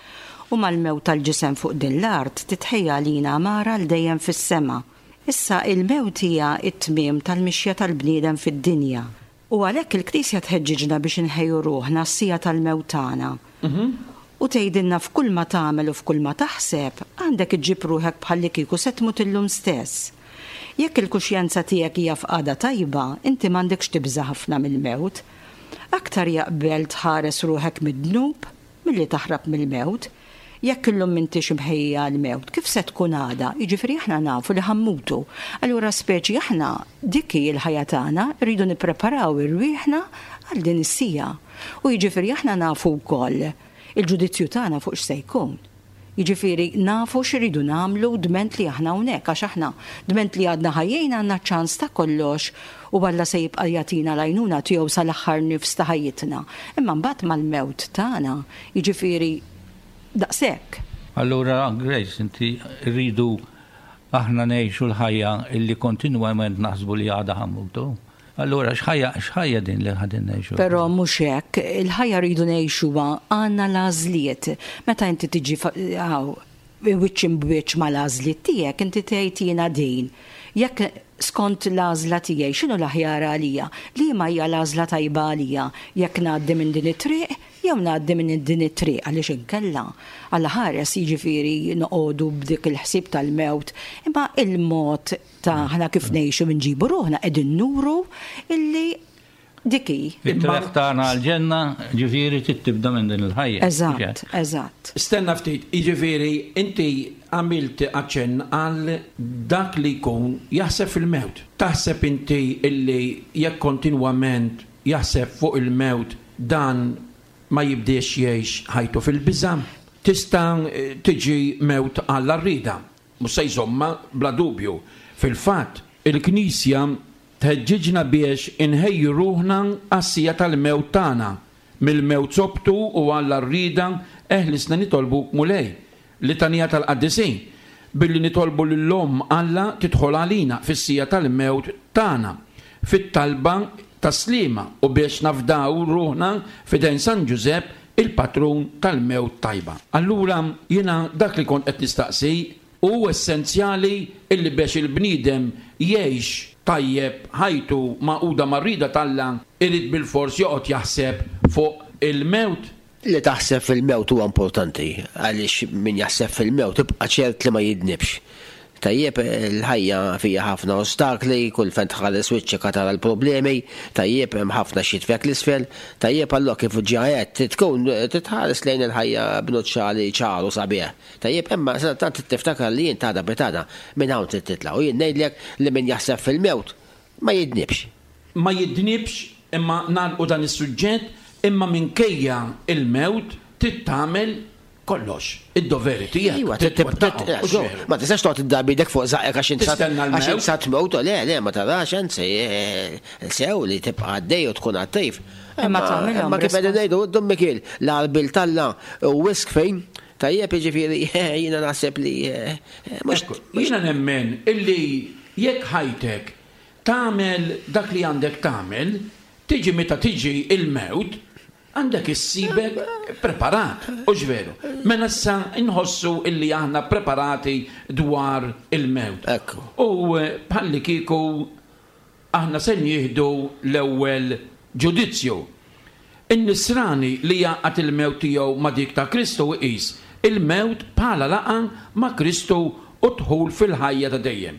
u mal-mewt tal-ġisem fuq din l-art titħejja għalina għamara għal dejjem fis-sema. Issa il-mewt hija t-tmiem tal-mixja tal-bniedem fid-dinja, u għalhekk il-Knisja tħeġġiġna biex inħejju ruħna għas-sija tal-mewt tagħna. U tgħidilna f'kull ma tagħmel u f'kull ma taħseb, għandek iġġib ruħek bħallikieku se tmut illum stess. Jekk il-kuxjenza tiegħek hija f'qagħda tajba, inti m'għandekx tibża' ħafna mill-mewt. Aktar jaqbel tħares ruħek mid-dnub milli taħrab mill-mewt. Jekk illum m'intix imħejja għall-mewt, kif se tkun għada? Jiġifieri aħna nafu li ħammutu. Allura speċi aħna dik hi l-ħajja tagħna, rridu nippreparaw irwieħna għal din is-sija. U jiġifieri aħna nafu wkoll il-ġudizzju tagħna fuq x'se jkun. Jiġifieri nafu x'iridu nagħmlu dment li aħna hawnhekk, għax aħna dment li għadna ħajjin għandna ċans ta' kollox u Alla se jibqa' jagħtina l-għajnuna tiegħu sal-aħħar nifs ta' ħajjitna. Imma mbagħad mal-mewt tagħna, jiġifieri daqshekk. Allura Grace, inti rridu aħna ngħixu l-ħajja illi kontinwament naħsbu li għadha ħammutu. Allura x'ħajja x'ħajja din li qegħdin ngħixu? Però mhux hekk, il-ħajja rridu ngħixuha, għandna l-għażliet. Meta inti tiġi hawn wiċċ imb'wiċċ mal-għażliet tiegħek, inti tgħid jiena din. Jekk skont l-għażla tiegħi x'inhu l-aħjar għalija? Liema hija l-għażla tajba għalija? Jekk ngħaddi minn din it-triq jew ngħaddi minn din it-triq, għaliex inkella Alla ħares, jiġifieri noqogħdu b'dik il-ħsieb tal-mewt, imma il-mod ta' aħna kif ngħixu nġibu ruħna qegħdin nuru illi dik hi. It-triq tagħna għall-ġenna, ġifieri, trid tibda minn din il-ħajja. Eżatt, eżatt. Stenna ftit, jiġifieri inti għamilt aċċenn għal dak li jkun jaħseb fil-mewt. Taħseb inti illi jekk kontinwament jaħseb fuq il-mewt, dan ma jibdiex jgħix ħajtu fil-biża'? Tista' tiġi mewt għall-arrida. Mhux se jżomma, bla dubju. Fil-fatt, il-Knisja tħeġġiġna biex inħejju ruħna għas-siegħa tal-mewt tagħna. Mill-mewt sobtu u għall-arrida eħlisna nitolbu, Mulej. Litanija tal-Qaddisin. Billi nitolbu lill-Omm Alla tidħol għalina fis-siegħa tal-mewt tagħna. Fit-talba tas-Sliema u biex nafdaw ruħna f'idejn San Ġużepp, il-patrun tal-mewt tajba. Allura jiena dak li kont qed nistaqsi hu essenzjali illi biex il-bniedem jgħix tajjeb ħajtu magħquda mar-rieda t'Alla, irid bilfors joqgħod jaħseb fuq il-mewt? Li taħseb fil-mewt huwa importanti, għaliex min jaħseb fil-mewt tibqa' ċert li ma jidnibx. Tajjeb, il-ħajja fija ħafna ostakli, kull fejn tħares wiċċek tara l-problemi, tajjeb, hemm ħafna x'jitfgħek 'l isfel, tajjeb, allura kif ġa għedt, tkun titħares lejn il-ħajja b'nuċċali ċar u sabiħ. Tajjeb, imma tant tiftakar li jien tada betada minn hawn trid titla' u jien ngħidlek li min jaħseb fil-mewt ma jidnibx. Ma jidnibx, imma nagħlqu dan is-suġġett, imma minkejja il-mewt trid tagħmel kollox, id-doveri tiegħek. Iva, trid twettaqhom, u xejn. Ma tistax toqgħod iddarbi idek fuq żaqqek għax int Tistenna l-mewt. Għax int sa tmewt, le, le, ma tarax, anzi, eh, sew li tibqa' għaddej u tkun attiv. Imma tagħmilhom Imma kif qegħdin respons- ngħidu, Dun Mikiel, l-għarbil t'Alla u wisq fejn, tajjeb, jiġifieri, jiena naħseb li, eh, mhux Ekku, jiena nemmen illi jekk ħajtek tagħmel dak li għandek tagħmel, tiġi meta tiġi il-mewt, għandek issibek preparat, u veru. Mela issa nħossu illi aħna preparati dwar il-mewt. Ekku. U eh, bħalli kieku aħna se nieħdu l-ewwel ġudizzju. In-nisrani li jgħaqqad il-mewt tiegħu ma' dik ta' Kristu iqis il-mewt bħala laqgħa ma' Kristu u dħul fil-ħajja ta' dejjem.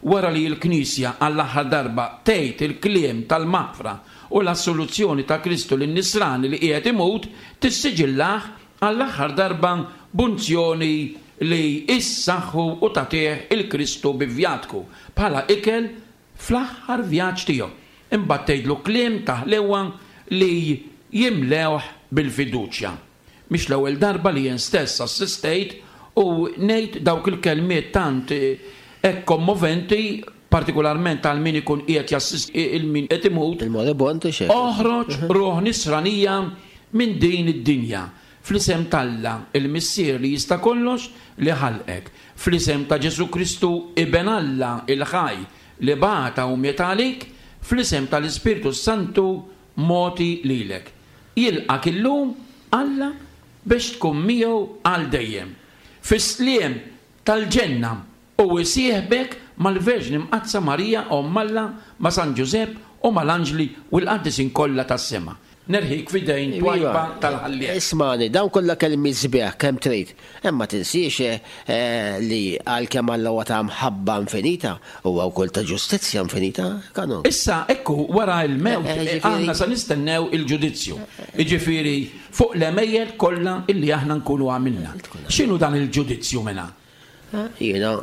Wara li l-Knisja għall-aħħar darba tgħid il-kliem tal-maħfra u l-assoluzzjoni ta' Kristu lin-nisrani li qiegħed imut, tissiġillah għall-aħħar darba b'unzjoni li issaħħu u tagħtih il-Kristu bi vjatku bħala ikel fl-aħħar vjaġġ tiegħu. Imbagħad tgħidlu kliem ta' ħlewa li jimlewh bil-fiduċja. Mhix l-ewwel darba li jien stess assistejt u ngħid dawk il-kelmiet tant hekk kommoventi, partikolarment għal min ikun qiegħed jassisti il min qed imut. Il-moribond xejn. Oħroġ ruħ nisranija minn din id-dinja. Fl-isem t'Alla, il-Missier li jista' kollox li ħalqek. Fl-isem ta' Ġesu Kristu, Iben Alla il-ħaj li bata u miet għalik, fl-isem tal-Ispirtu Santu mogħti lilek. Jilqak illum Alla biex tkun miegħu għal dejjem. Fis-sliem tal-ġenna u jsieħbek mal-Verġni Mqaddsa Marija Omm Alla, ma' San Ġużepp u mal-anġli u l-qaddisin kollha tas-sema. Nerħik f'idejn Iva. twajba tal-Ħallieq. Ismani, dawn kollha kelmi sbieħ kemm trid. Imma tinsiex eh, li għalkemm Alla huwa ta' mħabba infinita, huwa wkoll ta' ġustizzja infinita, kanu. Issa, ekku, wara il-mewt, Eh, eh, eh, ġifieri- aħna sa nistennew il-ġudizzju. Jiġifieri, fuq l-għemejjel kollha illi aħna nkunu għamilna. X'inhu dan il-ġudizzju mela? Jiena,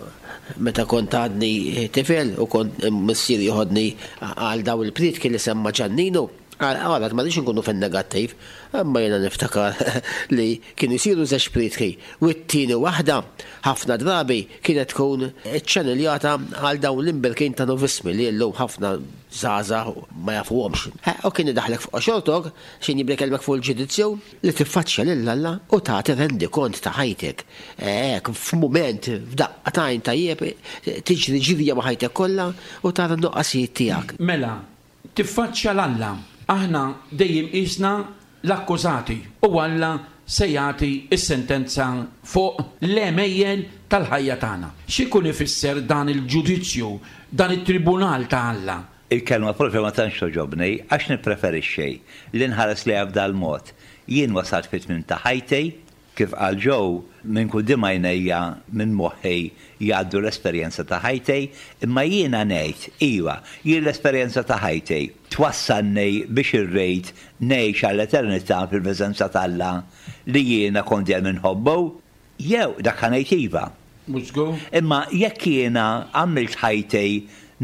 meta kont għadni tifel u kont missieri joħodni għal daw il-prietki li semma Ġanninu, għalat ma rridx nkunu fin-negattiv, imma jiena niftakar li kienu jsiru żewġ prietki u t-tieni waħda ħafna drabi kienet tkun ċċanneljata għal dawn l-imberkin ta' novismi li llum ħafna żgħażagħ ma jafuhomx. U kien idaħlek fuq xortok, xin jibda jkellmek fuq il-ġudizzju li tiffaċċja lil Alla u tagħti rendikont ta' ħajtek. Hekk f'mument f'daqqa t'għajn, tajjeb, tiġri ġirja ma' ħajtek kollha u tara n-nuqqasijiet tiegħek. Mela, tiffaċċja 'l Alla. Aħna dejjem qisna l-akkużati u Alla se jagħti s-sentenza fuq l-għemejjel tal-ħajja tagħna. X'ikun ifisser dan il-ġudizzju, dan it-tribunal ta' Alla? Il-kelma propja ma tantx togħġobni għax nippreferixxi li nħares lejha b'dal-mod. Jien wasalt fit-tmiem ta' ħajti, kif qal Joe, minn quddiem għajnejja, minn moħħi jgħaddu l-esperjenza ta' ħajti, imma jiena ngħid, iva, jien l-esperjenza ta' ħajti twassalni biex irrid ngħix għall-eternità fil-preżenza t'Alla li jiena kont dejjem inħobbu, jew dak ħa ngħid iva. Mhux żgur? Imma jekk jiena għamilt ħajti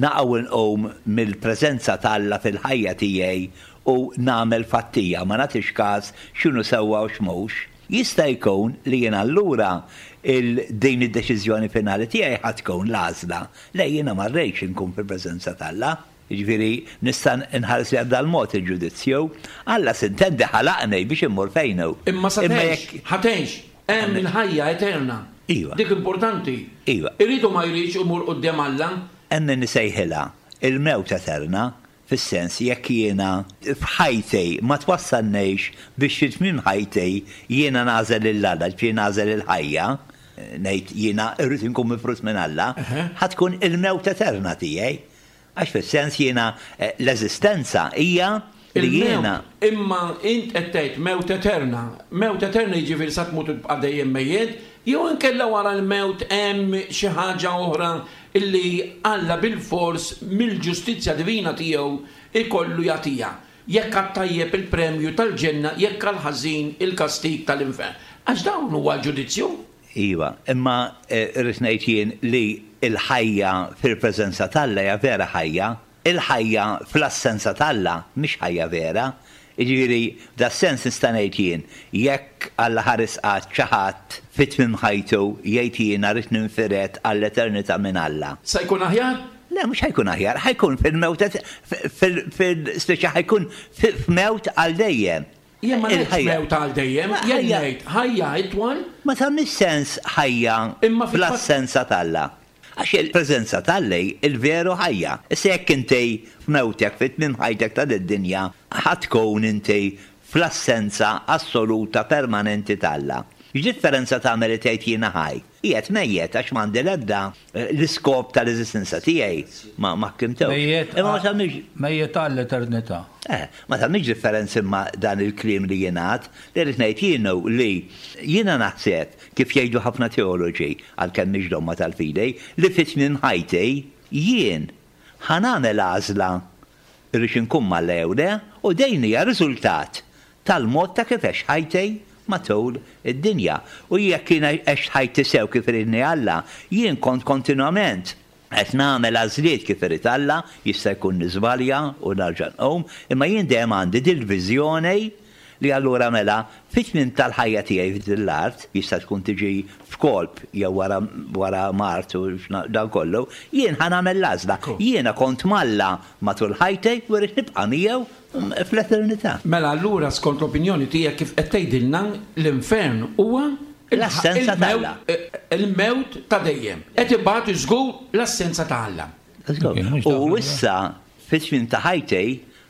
naqa' u nqum mill-preżenza t'Alla fil-ħajja tiegħi u nagħmel fattija, ma nagħtix każ x'inhu sewwa u x'mhux, jista' jkun li jien allura din id-deċiżjoni finali tiegħi ħa tkun l-għażla le jiena ma rridx inkun fil-preżenza t'Alla. Jiġifieri nista' nħares lejha b'dal-mod il-ġudizzju. Alla s'intendi ħalaqni biex immur fejn hu. Imma sa tgħix, ħa tgħix, hemm il-ħajja eterna. Iva. Dik importanti. Iva. Irid u ma jridx imur quddiem Alla. Hemm min isejħilha il-mewt eterna, fis-sens jekk jiena f'ħajti ma twassalnix biex fi tmiem ħajti jiena nagħżel lil Alla, ġifieri nagħżel il-ħajja, ngħid jiena rrid inkun mifrud minn Alla, ħa tkun il-mewt eterna tiegħi. Għax fis-sens jiena l-eżistenza hija li jiena. Imma int qed tgħid mewt eterna. Mewt eterna jiġifieri sa tmut u tibqa' dejjem mejjet, jew inkella wara l-mewt hemm xi ħaġa oħra illi Alla bilfors mill-ġustizzja divina tiegħu ikollu jagħtiha. Jekk għat-tajjeb il-premju tal-ġenna, jekk għall-ħażin il-kastig tal-infern. Għax dawn huwa l-ġudizzju. Iva, imma rrid ngħid jien li l-ħajja fil-preżenza t'Alla hija vera ħajja. Il-ħajja fl-assenza t'Alla mhix ħajja vera. Jiġifieri, f'das-sens nista' ngħid jien, jekk Alla ħares qatt xi ħadd fi tmiem ħajtu jgħid jiena rrid ninfired għall-eternità minn Alla. Sa jkun aħjar? Le, mhux ħa jkun aħjar, ħa jkun fil-mewt, fil-speċi ħa jkun f'mewt għal dejjem. Jien ma ngħidx mewt għal dejjem, jien ngħid ħajja itwal. Ma tagħmilx sens ħajja fl-assenza t'Alla. Għax il-preżenza t'Alla hi l-veru ħajja. Issa jekk inti f'mewtek, fi tmiem ħajtek ta' did-dinja, ħa tkun inti fl-assenza assoluta permanenti t'Alla. X'differenza tagħmel li tgħid jiena ħaj? Qiegħed mejjet għax m'għandi l-ebda l-iskop tal-eżistenza tiegħi ma ma ħkimtux. Mejjet Imma ma tagħmilx Mejjet għall-eternità. Eh, ma tagħmilx differenza imma dan il-kliem li jingħad, li rrid ngħid jien hu li jiena naħseb, kif jgħidu ħafna teoloġi, għalkemm mhix domma tal-fidi, li fi tmiem ħajti jien ħa nagħmel għażla rridx inkun m'Alla jew le, u din hija riżultat tal-mod ta' kif għext ħajti matul id-dinja. U jekk jien għext ħajti sew kif iridni Alla, jien kont kontinwament qed nagħmel għażliet kif irid Alla, jista' jkun niżbalja u nerġa' nqum, imma jien dejjem għandi dil-viżjoni li allura mela fit-tmiem tal-ħajja tiegħi f'din l-art, jista' tkun tiġi f'kolp jew wara wara mard u dan kollu, jien ħa nagħmel l-għażla. Jiena kont m'Alla matul ħajti u rrid nibqa' miegħu fl-eternità. Mela allura skont l-opinjoni tiegħek kif qed tgħidilna l-infern huwa l-assenza ta' Alla. Il-mewt ta' dejjem. Qed ibati żgur l-assenza ta' Alla. U issa fit-tmiem ta' ħajti,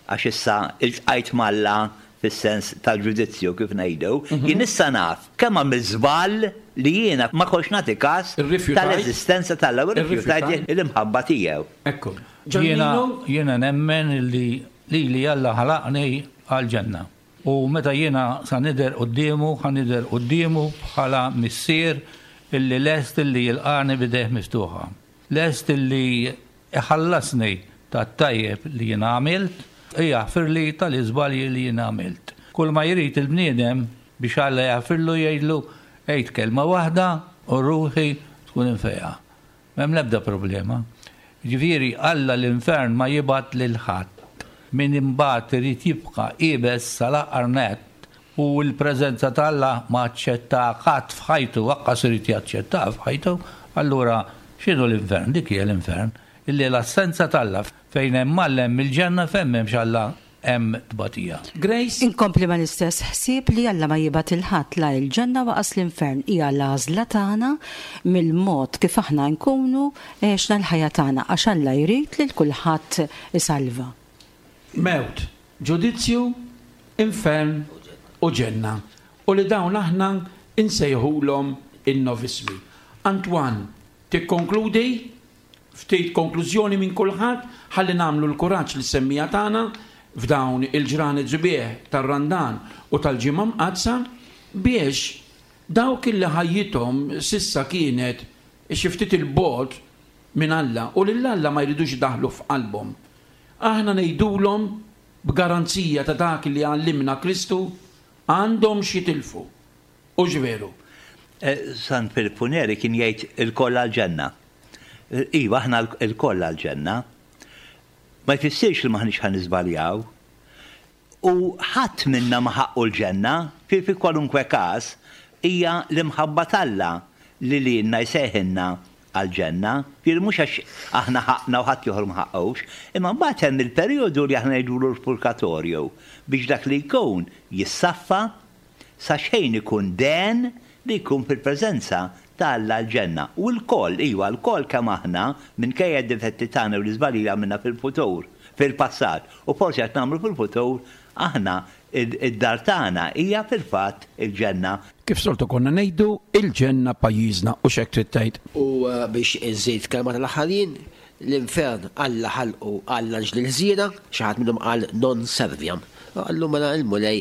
għax issa iltqajt m'Alla fis-sens tal-ġudizzju kif ngħidu, jien issa naf kemm għamilt żball li jiena ma kontx nagħti każ tal-eżistenza t'Alla u rrifjutajt l-imħabba tiegħu. Ekku. Jiena jiena nemmen li lili Alla ħalaqni għall-ġenna. U meta jiena sa nidher quddiemu, ħa nidher quddiemu bħala missier illi lest illi jilqagħni b'idejh miftuħa. Lest illi iħallasni tat-tajjeb li jiena għamilt, u jaħfirli tal-iżbalji li jiena għamilt. Kull ma jrid il-bniedem biex Alla jaħfirlu jgħidlu għid kelma waħda u ruħi tkun imfejqa. M'hemm l-ebda problema. Jiġifieri Alla l-infern ma jibgħat lil ħadd. Min imbagħad irid jibqa' iebes sal-aħħar nett u l-preżenza t'Alla ma aċċettaha qatt f'ħajtu, aqqas irid jaċċettaha f'ħajtu, allura x'inhu l-infern? Dik hija l-infern, illi l-assenza t'Alla. Fejn hemm Alla hemm il-ġenna, fejn m'hemmx Alla hemm tbatija. Grace? Inkompli mal-istess ħsieb li Alla ma jibgħat 'il ħadd la l-ġenna u qas l-infern. Hija l-għażla tagħna mill-mod kif aħna nkunu għexna l-ħajja tagħna għax Alla jrid lil kulħadd isalva. Mewt, ġudizzju, infern u ġenna. U li dawn aħna insejħulhom in-novismi. Antoine, tikkonkludi? Ftit konklużjoni minn kulħadd ħalli nagħmlu l-kuraġġ lis-semmiegħa tagħna f'dawn il-ġranet sbieħ tar-Randan u tal-Ġimgħa Mqaddsa biex dawk illi ħajjithom sissa kienet xi ftit il-bogħod minn Alla u lil Alla ma jridux idaħħlu f'qalbhom. Aħna ngħidulhom b'garanzija ta' dak li għallimna Kristu għandhom x'jitilfu. U ġveru. San Filippu Neri kien jgħid il-koll għal-ġenna. Iva, aħna il-koll għal-ġenna. Ma jfissirx li maħniex ħa niżbaljaw. U ħadd minna ma ħaqqu l-ġenna, fi fi kwalunkwe każ, hija l-imħabba t'Alla li lilna jsejħilna għal-ġenna. Fir mhux għax aħna ħaqna u ħadd ieħor ma ħaqqux, imma mbagħad hemm il-perjodu li aħna ngħidulu l-purgatorju biex dak li jkun jissaffa sa xejn ikun den li jkun fil-preżenza ta' Alla l-ġenna. U l-koll, iva, l-koll kemm aħna minkejja d-difetti tagħna u l-iżbalji li għamilna fil-futur, fil-passat, u forsi qed nagħmlu fil-futur, aħna id-dar tagħna hija fil-fatt il-ġenna. Kif soltu konna ngħidu, il-ġenna pajjiżna u x'hekk trid tgħid. U biex iżid kelma tal-aħħarin, l-infern Alla ħalqu għall-anġli l-ħżiena, xi ħadd minnhom qal non serviam. Qallu mela il-Mulej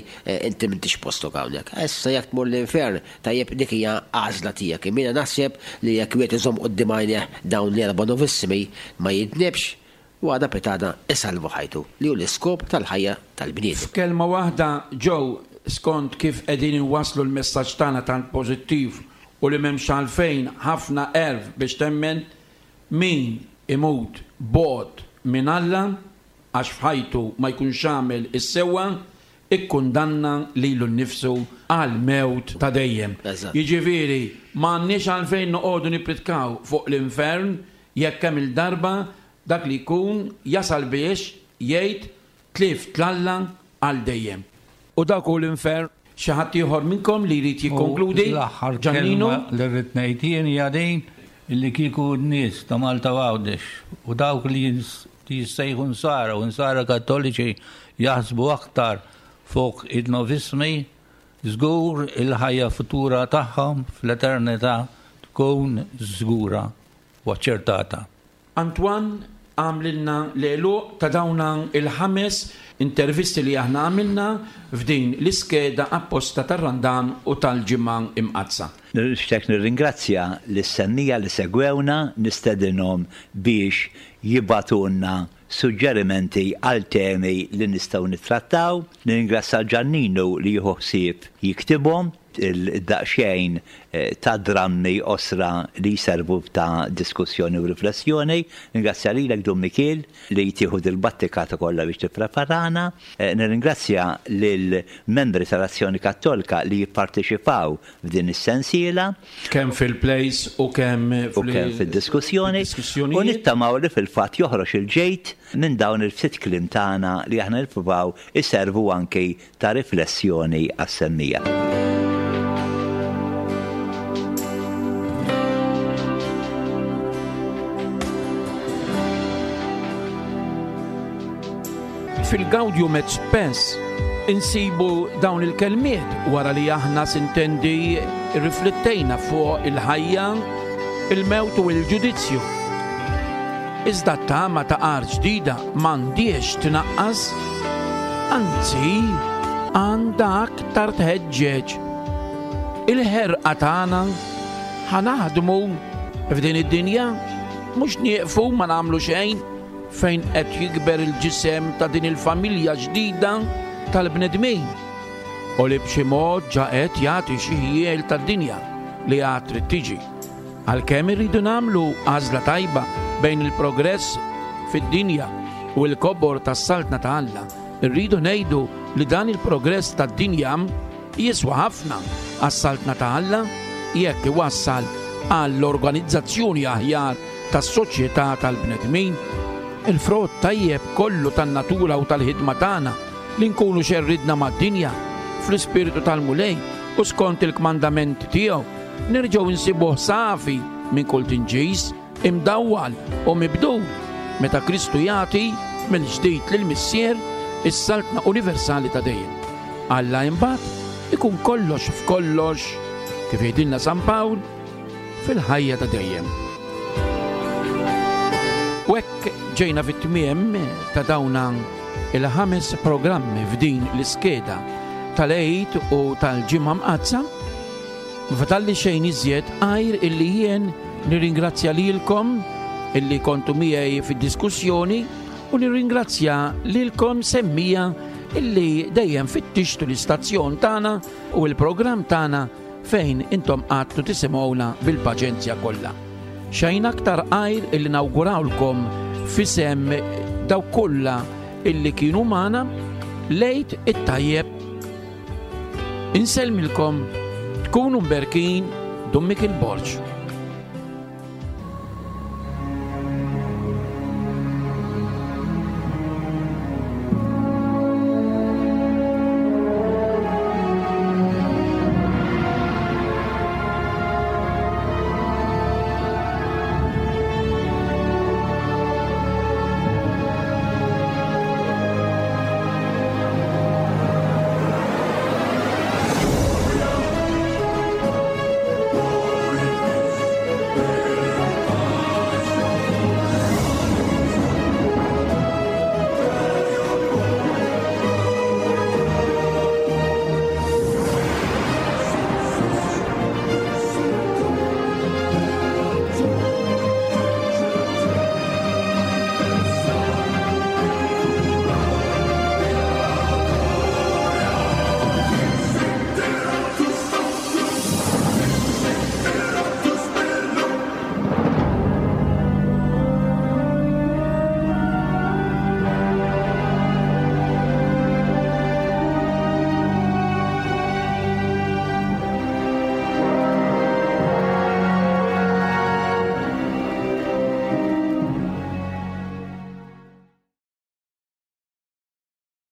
inti m'intix postok hawnhekk. Issa jekk tmur l-infern, tajjeb dik hija għażla tiegħek. Imma jiena naħseb li jekk wieħed iżomm quddiem għajnejh dawn l-erba' novissimi ma jidnibx u għada pitada isalvu ħajtu, li hu l-iskop tal-ħajja tal-bniedem. F'kelma waħda, Joe, skont kif qegħdin inwasslu l-messaġġ tagħna tant pożittiv u li m'hemmx għalfejn ħafna għerf biex temmen, min imut bogħod minn Alla għax f'ħajtu ma jkunx għamel is-sewwa, ikkundanna lilu nnifsu għal mewt ta' dejjem. Eżatt. Jiġifieri, m'għandniex għalfejn noqogħdu nippritkaw fuq l-infern jekk hemm il-darba dak li jkun jasal biex jgħid tlift l-Alla għal dejjem. U dak hu l-infern. Xi ħadd ieħor minnkom li jrid jikkonkludi? U l-aħħar Ġannino? kelma li rrid ngħid jien hija din illi kieku n-nies ta' Malta u Għawdex u dawk li jins-, li jissejħu nsara u nsara kattoliċi jaħsbu aktar fuq il-novismi, żgur il-ħajja futura tagħhom fl-eternità tkun żgura u aċċertata. Antoine għamlilna l-għeluq ta' dawna il-ħames intervisti li aħna għamilna f'din l-iskeda apposta tar-Randan u tal-Ġimgħa Imqaddsa. Nixtieq nirringrazzja lis-semmiegħa li segwewna, nistedinhom biex jibgħatulna suġġerimenti għal temi li nistgħu nittrattaw. Nirringrazzja Ġanninu li jieħu ħsieb jiktibhom il-daqxejn, eh, ta' drammi osra li jservu ta' diskussjoni u riflessjoni. Nirringrazzja lilek Dun Mikiel li tieħu dil-battikata kollha biex tippreparana. Eh, nirringrazzja lill-membri tal-Azzjoni Kattolika li jipparteċipaw f'din is-sensiela. Kemm fil-plays u kemm U kemm fid-diskussjoni. fid-diskussjonijiet. U nittamaw li fil-fatt joħroġ il-ġejt minn dawn il-ftit kliem tagħna li aħna nippruvaw iservu anki ta' riflessjoni għas-semmiegħa. Fil-Gaudium et Spes insibu dawn il-kelmiet wara li aħna sintendi riflettejna fuq il-ħajja, il-mewt u l-ġudizzju. Iżda t-tama ta' art ġdida m'għandhiex tnaqqas, anzi għandha aktar tħeġġeġ. Il-ħerqa tagħna ħa naħdmu f'din id-dinja, mhux nieqfu ma nagħmlu xejn fejn qed jikber il-ġisem ta' din il-familja ġdida tal-bnedmin u li b'xi mod ġa qed jagħti xi ħjiel tad-dinja li għad trid tiġi. Għalkemm irridu nagħmlu għażla tajba bejn il-progress fid-dinja u l-kobor tas-saltna ta' Alla, irridu ngħidu li dan il-progress tad-dinja jiswa ħafna għas-saltna ta' Alla jekk iwassal għall-organizzazzjoni aħjar tas-soċjetà tal-bnedmin. Il-frott tajjeb kollu tan-natura u tal-ħidma tagħna li nkunu xerridna mad-dinja fl-ispirtu tal-Mulej u skont il-kmandamenti tiegħu nerġgħu nsibuh safi minn kull tinġis, imdawwal u mibdul meta Kristu jagħti mill-ġdid lill-Missier is-saltna universali ta' dejjem. Alla imbagħad ikun kollox f'kollox, kif jgħidilna San Pawl, fil-ħajja ta' dejjem. U hekk ġejna fit-tmiem ta' dawna il-ħames programmi f'din l-iskeda tal-Għid u tal-Ġimgħa Mqaddsa. Ma fadalli xejn iżjed għajr illi jien nirringrazzja lilkom illi kontu miegħi fid-diskussjoni u nirringrazzja lilkom semmiegħa illi dejjem fittixtu l-istazzjon tagħna u l-programm tagħna fejn intom qgħadtu tisimgħuna bil-paċenzja kollha. Xejn aktar għajr illi nawgurawlkom f'isem dawk kollha illi kienu magħna l-Għid it-tajjeb. Insellmilkom, tkunu mberkin. Dun Mikiel Borg.